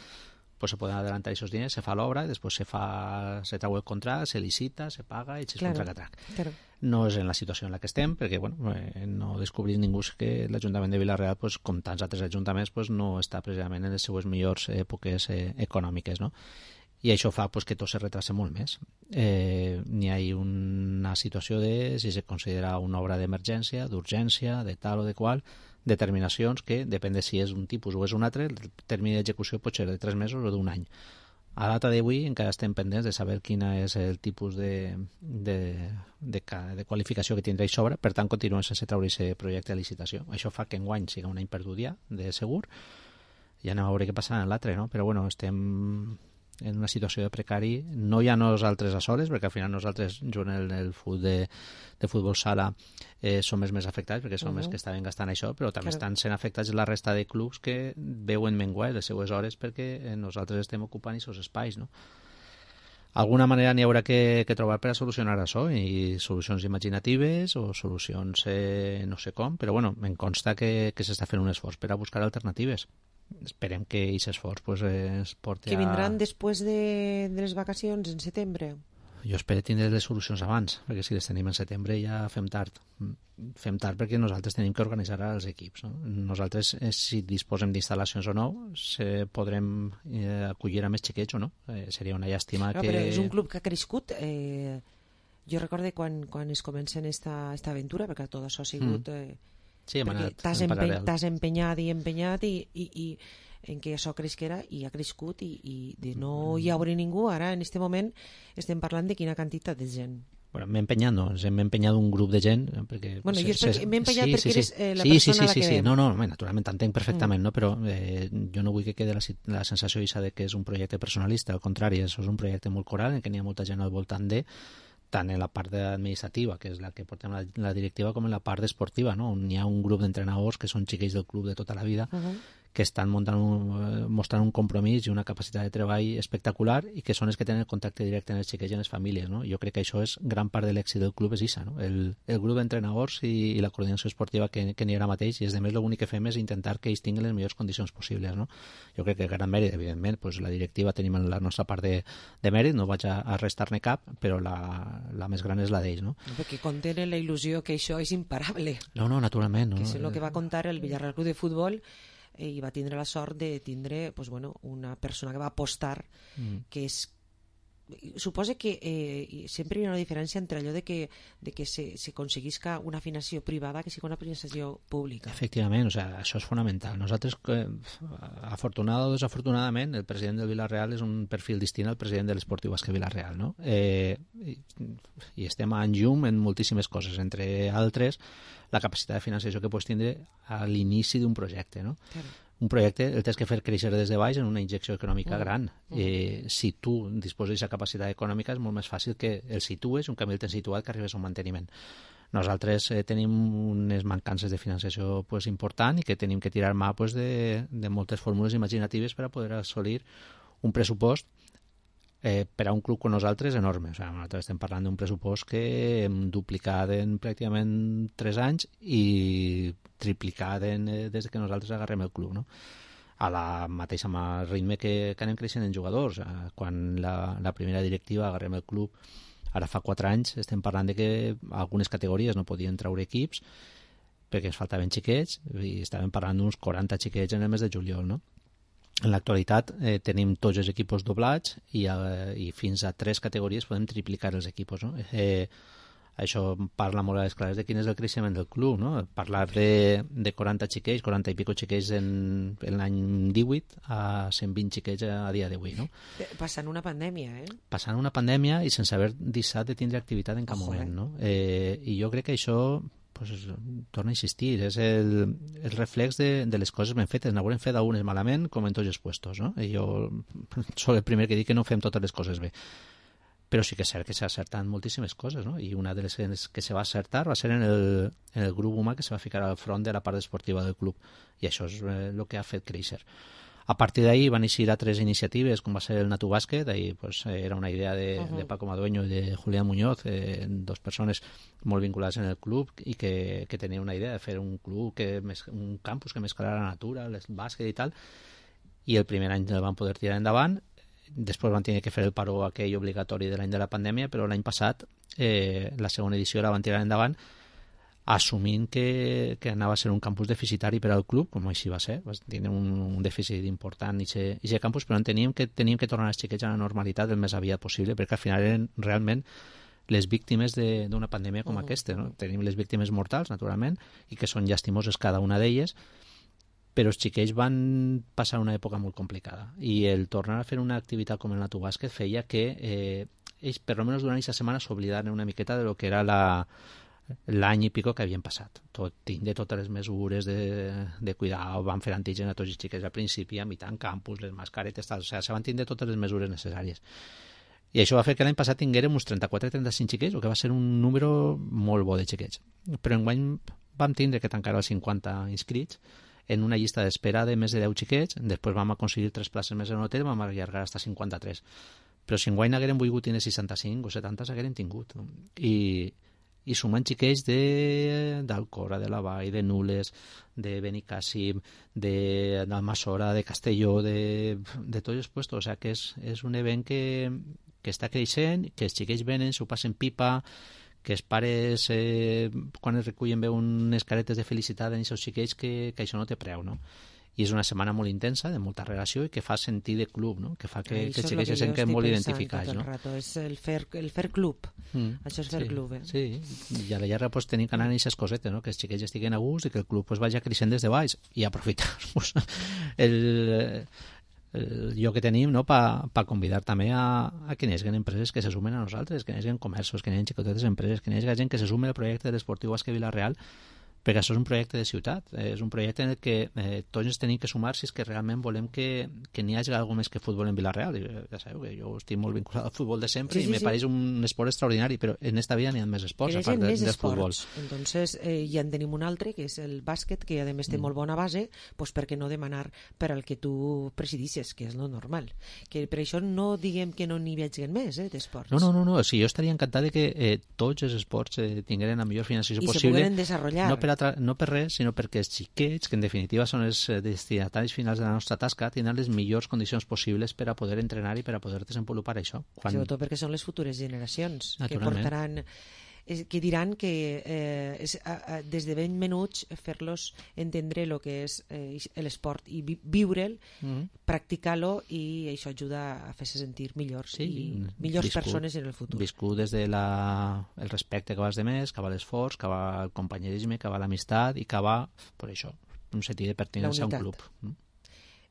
Speaker 20: pues se poden adelantar aquests diners, se fa l'obra, després se fa, se trau el contracte, se licita, se paga i se claro, contracte. Claro. No és en la situació en la que estem, perquè bueno, eh, no descobrim ningú que l'Ajuntament de Vilarreal, pues, com tants altres ajuntaments, pues, no està precisament en les seues millors èpoques eh, econòmiques, no? I això fa pues, que tot se retrasa molt més. Eh, n'hi ha una situació de, si se considera una obra d'emergència, d'urgència, de tal o de qual, determinacions que, depèn de si és un tipus o és un altre, el termini d'execució pot ser de tres mesos o d'un any. A data d'avui encara estem pendents de saber quin és el tipus de, de, de, de qualificació que tindrà això obra, per tant continuem sense treure aquest projecte de licitació. Això fa que enguany siga un any perdut ja, de segur, i anem a veure què passarà en l'altre, no? Però bueno, estem en una situació de precari, no hi ha nosaltres a soles, perquè al final nosaltres, junt en el futbol de, de futbol sala, eh, som els més afectats, perquè som uh -huh. els que estaven gastant això, però també claro. estan sent afectats la resta de clubs que veuen menguar les seues hores perquè eh, nosaltres estem ocupant aquests espais, no? Alguna manera n'hi haurà que, que trobar per a solucionar això, i solucions imaginatives o solucions eh, no sé com, però bueno, em consta que, que s'està fent un esforç per a buscar alternatives. Esperem que aquest esforç pues, es porti
Speaker 7: que vindran
Speaker 20: a...
Speaker 7: després de, de les vacacions en setembre.
Speaker 20: Jo espero tindre les solucions abans, perquè si les tenim en setembre ja fem tard. Fem tard perquè nosaltres tenim que organitzar els equips. No? Nosaltres, eh, si disposem d'instal·lacions o no, se podrem eh, acollir a més xiquets o no. Eh, seria una llàstima
Speaker 7: no,
Speaker 20: que...
Speaker 7: Però és un club que ha crescut. Eh, jo recorde quan, quan es comença esta, esta aventura, perquè tot això ha sigut... Eh,
Speaker 20: sí, hem anat
Speaker 7: t'has
Speaker 20: en
Speaker 7: empe
Speaker 20: paral·lel.
Speaker 7: T'has empenyat i empenyat i... i, i en què això cresquera i ha crescut i, i de no hi haurà ningú. Ara, en este moment, estem parlant de quina quantitat de gent.
Speaker 20: Bueno, m'he empenyat, no, ens hem empenyat un grup de gent perquè...
Speaker 7: Bueno, jo
Speaker 20: se,
Speaker 7: m'he empenyat
Speaker 20: sí,
Speaker 7: perquè
Speaker 20: sí,
Speaker 7: eres
Speaker 20: sí.
Speaker 7: eh, la
Speaker 20: sí,
Speaker 7: persona
Speaker 20: sí, sí,
Speaker 7: a la
Speaker 20: sí,
Speaker 7: que...
Speaker 20: Sí, no, no, naturalment, t'entenc perfectament,
Speaker 7: Mm.
Speaker 20: no? Però eh, jo no vull que quede la, la sensació Isa, de que és un projecte personalista, al contrari, això és un projecte molt coral en què n'hi ha molta gent al voltant de, tant en la part administrativa, que és la que portem la, la directiva, com en la part esportiva, no? On hi ha un grup d'entrenadors que són xiquets del club de tota la vida,
Speaker 7: Uh-huh.
Speaker 20: que estan muntant un, mostrant un compromís i una capacitat de treball espectacular i que són els que tenen el contacte directe amb els xiquets i amb les famílies. No? Jo crec que això és gran part de l'èxit del club, és Isa, no? el, el grup d'entrenadors i, i la coordinació esportiva que, que n'hi ha ara mateix, i és de més l'únic que fem és intentar que ells tinguin les millors condicions possibles. No? Jo crec que gran mèrit, evidentment, pues, la directiva tenim la nostra part de, de mèrit, no vaig a, a restar-ne cap, però la, la més gran és la d'ells. No?
Speaker 7: Perquè contenen la il·lusió que això és imparable.
Speaker 20: No, no, naturalment. No?
Speaker 7: Que és el que va contar el Villarreal Club de Futbol, i va tindre la sort de tindre pues, bueno, una persona que va apostar mm. que és suposa que eh, sempre hi ha una diferència entre allò de que, de que se, se aconseguisca una financiació privada que sigui una financiació pública.
Speaker 20: Efectivament, o sea, això és fonamental. Nosaltres, eh, afortunadament o desafortunadament, el president del Villarreal és un perfil distint al president de l'Esportiu Basque Villarreal, no? Eh, i, i estem en llum en moltíssimes coses, entre altres la capacitat de financiació que pots tindre a l'inici d'un projecte, no? Claro. Un projecte el tens que fer créixer des de baix en una injecció econòmica mm. gran. Eh, si tu disposes d'aquesta capacitat econòmica és molt més fàcil que el situes, un canvi el tens situat, que arribes a un manteniment. Nosaltres eh, tenim unes mancances de financiació pues, important i que tenim que tirar mà pues, de, de moltes fórmules imaginatives per a poder assolir un pressupost Eh, per a un club com nosaltres enorme. O sigui, nosaltres estem parlant d'un pressupost que hem duplicat en pràcticament tres anys i triplicat en, eh, des que nosaltres agarrem el club, no? A la mateixa ritme que, que anem creixent en jugadors. Eh, quan la, la primera directiva agarrem el club, ara fa quatre anys, estem parlant de que algunes categories no podien treure equips perquè ens faltaven xiquets i estàvem parlant d'uns quaranta xiquets en el mes de juliol, no? En l'actualitat eh, tenim tots els equipos doblats i, eh, i fins a tres categories podem triplicar els equipos. No? Eh, això parla molt a les clares de quin és el creixement del club. No? Parlar de, de quaranta xiquets, quaranta i pico xiquets en, en l'any divuit a cent vint xiquets a dia d'avui. No?
Speaker 7: Passant una pandèmia, eh?
Speaker 20: Passant una pandèmia i sense haver deixat de tindre activitat en cap Ojo, moment. No? Eh, I jo crec que això... Pues, torna a insistir, és el, el reflex de, de les coses ben fetes. N'haurem fet algunes malament, com en tots els puestos, no? I jo soc el primer que dic que no fem totes les coses bé. Però sí que és cert que s'ha acertat moltíssimes coses, no? I una de les que se va acertar va ser en el, en el grup humà que se va ficar al front de la part esportiva del club. I això és el que ha fet créixer. A partir d'ahí van eixir altres iniciatives, com va ser el Natu Bàsquet. Ahí pues, era una idea de, uh-huh. de Paco Madueño i de Julián Muñoz, eh, dos persones molt vinculades en el club i que, que tenien una idea de fer un club, que un campus que mesclara la natura, el bàsquet i tal. I el primer any el van poder tirar endavant. Després van tenir que fer el paró aquell obligatori de l'any de la pandèmia, però l'any passat eh, la segona edició la van tirar endavant assumint que, que anava a ser un campus deficitari per al club, com així va ser. Tenen un, un dèficit important i aquest campus, però enteníem que teníem que tornar els xiquets a la normalitat el més aviat possible, perquè al final eren realment les víctimes d'una pandèmia com uh-huh. aquesta. No? Tenim les víctimes mortals, naturalment, i que són llastimoses cada una d'elles, però els xiquets van passar una època molt complicada. I el tornar a fer una activitat com el Natu Bàsquet feia que eh, ells, per almenys durant aquesta setmana, s'oblidaren una miqueta de lo que era la l'any i pico que havien passat. Tot, tindre totes les mesures de, de cuidar, van fer antígens a tots els xiquets al principi, a mitjà en campus, les mascaretes, tal, o sigui, se van tindre totes les mesures necessàries. I això va fer que l'any passat tinguérem uns trenta-quatre trenta-cinc xiquets, el que va ser un número molt bo de xiquets. Però enguany vam tindre que tancar els cinquanta inscrits en una llista d'espera de més de deu xiquets, després vam aconseguir tres places més en l'hotel, vam allargar fins a cinquanta-tres. Però si enguany haguérem volgut tenir seixanta-cinc o setanta, s'haguérem tingut. I i sumant xiquets d'Alcora, de, de la Vall, de Nules, de Benicàssim, d'Almassora, de, de Castelló, de, de tots els puestos. O sigui que és, és un event que, que està creixent, que els xiquets venen, s'ho passen pipa, que els pares, eh, quan es recullen, veuen unes caretes de felicitat en aquests xiquets, que, que això no té preu, no? I és una setmana molt intensa, de molta relació, i que fa sentir de club, no? Que fa que, que els xiquets se senten molt identificats, no?
Speaker 7: Rato. És el fer, el fer club. Mm. Això és fer
Speaker 20: sí,
Speaker 7: club, eh?
Speaker 20: Sí, i a la llarga pues, tenim que anar en aquestes cosetes, no? Que els xiquets estiguen a gust i que el club pues, vagi creixent des de baix i aprofitar pues, el, el lloc que tenim, no? Per pa convidar també a, a que n'hi hagi empreses que se sumen a nosaltres, que n'hi hagi comerços, que n'hi hagi xicotetes empreses, que n'hi hagi gent que se sume al projecte de l'Esportiu Basque Vila-real, perquè això és un projecte de ciutat, és un projecte en el que eh, tots ens tenim que sumar si és que realment volem que, que n'hi hagi alguna més que futbol en Vila-real. I, ja sabeu que jo estic molt vinculat al futbol de sempre, sí, sí, i me sí. pareix un esport extraordinari, però en esta vida n'hi ha més esports, a part de, del futbol.
Speaker 7: Entonces, eh, ja en tenim un altre, que és el bàsquet, que a més té mm. molt bona base, pues per què no demanar per al que tu presidisses, que és lo normal. Que per això no diguem que no n'hi vegin més, eh, d'esports.
Speaker 20: No, no, no, no. O sigui, jo estaria encantat de que eh, tots els esports eh, tingueren la millor financiació
Speaker 7: I
Speaker 20: possible.
Speaker 7: I se poden desenvolupar.
Speaker 20: No per no per res, sinó perquè els xiquets, que en definitiva són els destinataris finals de la nostra tasca, tindran les millors condicions possibles per a poder entrenar i per a poder desenvolupar això. Quan...
Speaker 7: Sobretot perquè són les futures generacions que portaran, que diran que eh, és, a, a, des de ben menuts fer-los entendre el que és eh, l'esport i vi, viure'l, mm. practicar-lo, i això ajuda a fer-se sentir millors, sí, i millors viscut, persones en el futur.
Speaker 20: Viscut des de la, el respecte que va als demés, que va l'esforç, que va el companyerisme, que va l'amistat i que va, per això, un sentit de pertinença a un club. Mm.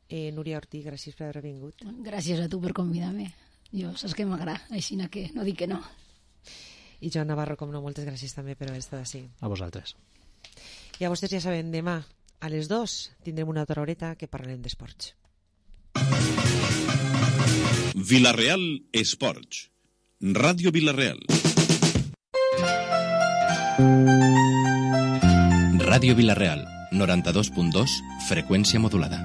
Speaker 7: Eh, Núria Ortí, gràcies per haver vingut.
Speaker 9: Gràcies a tu per convidar-me. Jo saps que m'agrada, així que no dic que no.
Speaker 7: I Joan Navarro, com no, moltes gràcies també per haver estat així.
Speaker 20: A vosaltres.
Speaker 7: I a vostès ja saben, demà a les dues tindrem una altra horeta que parlarem d'esports.
Speaker 12: Vila-real Esports. Ràdio Vila-real. Ràdio Vila-real, noranta-dos punt dos, freqüència modulada.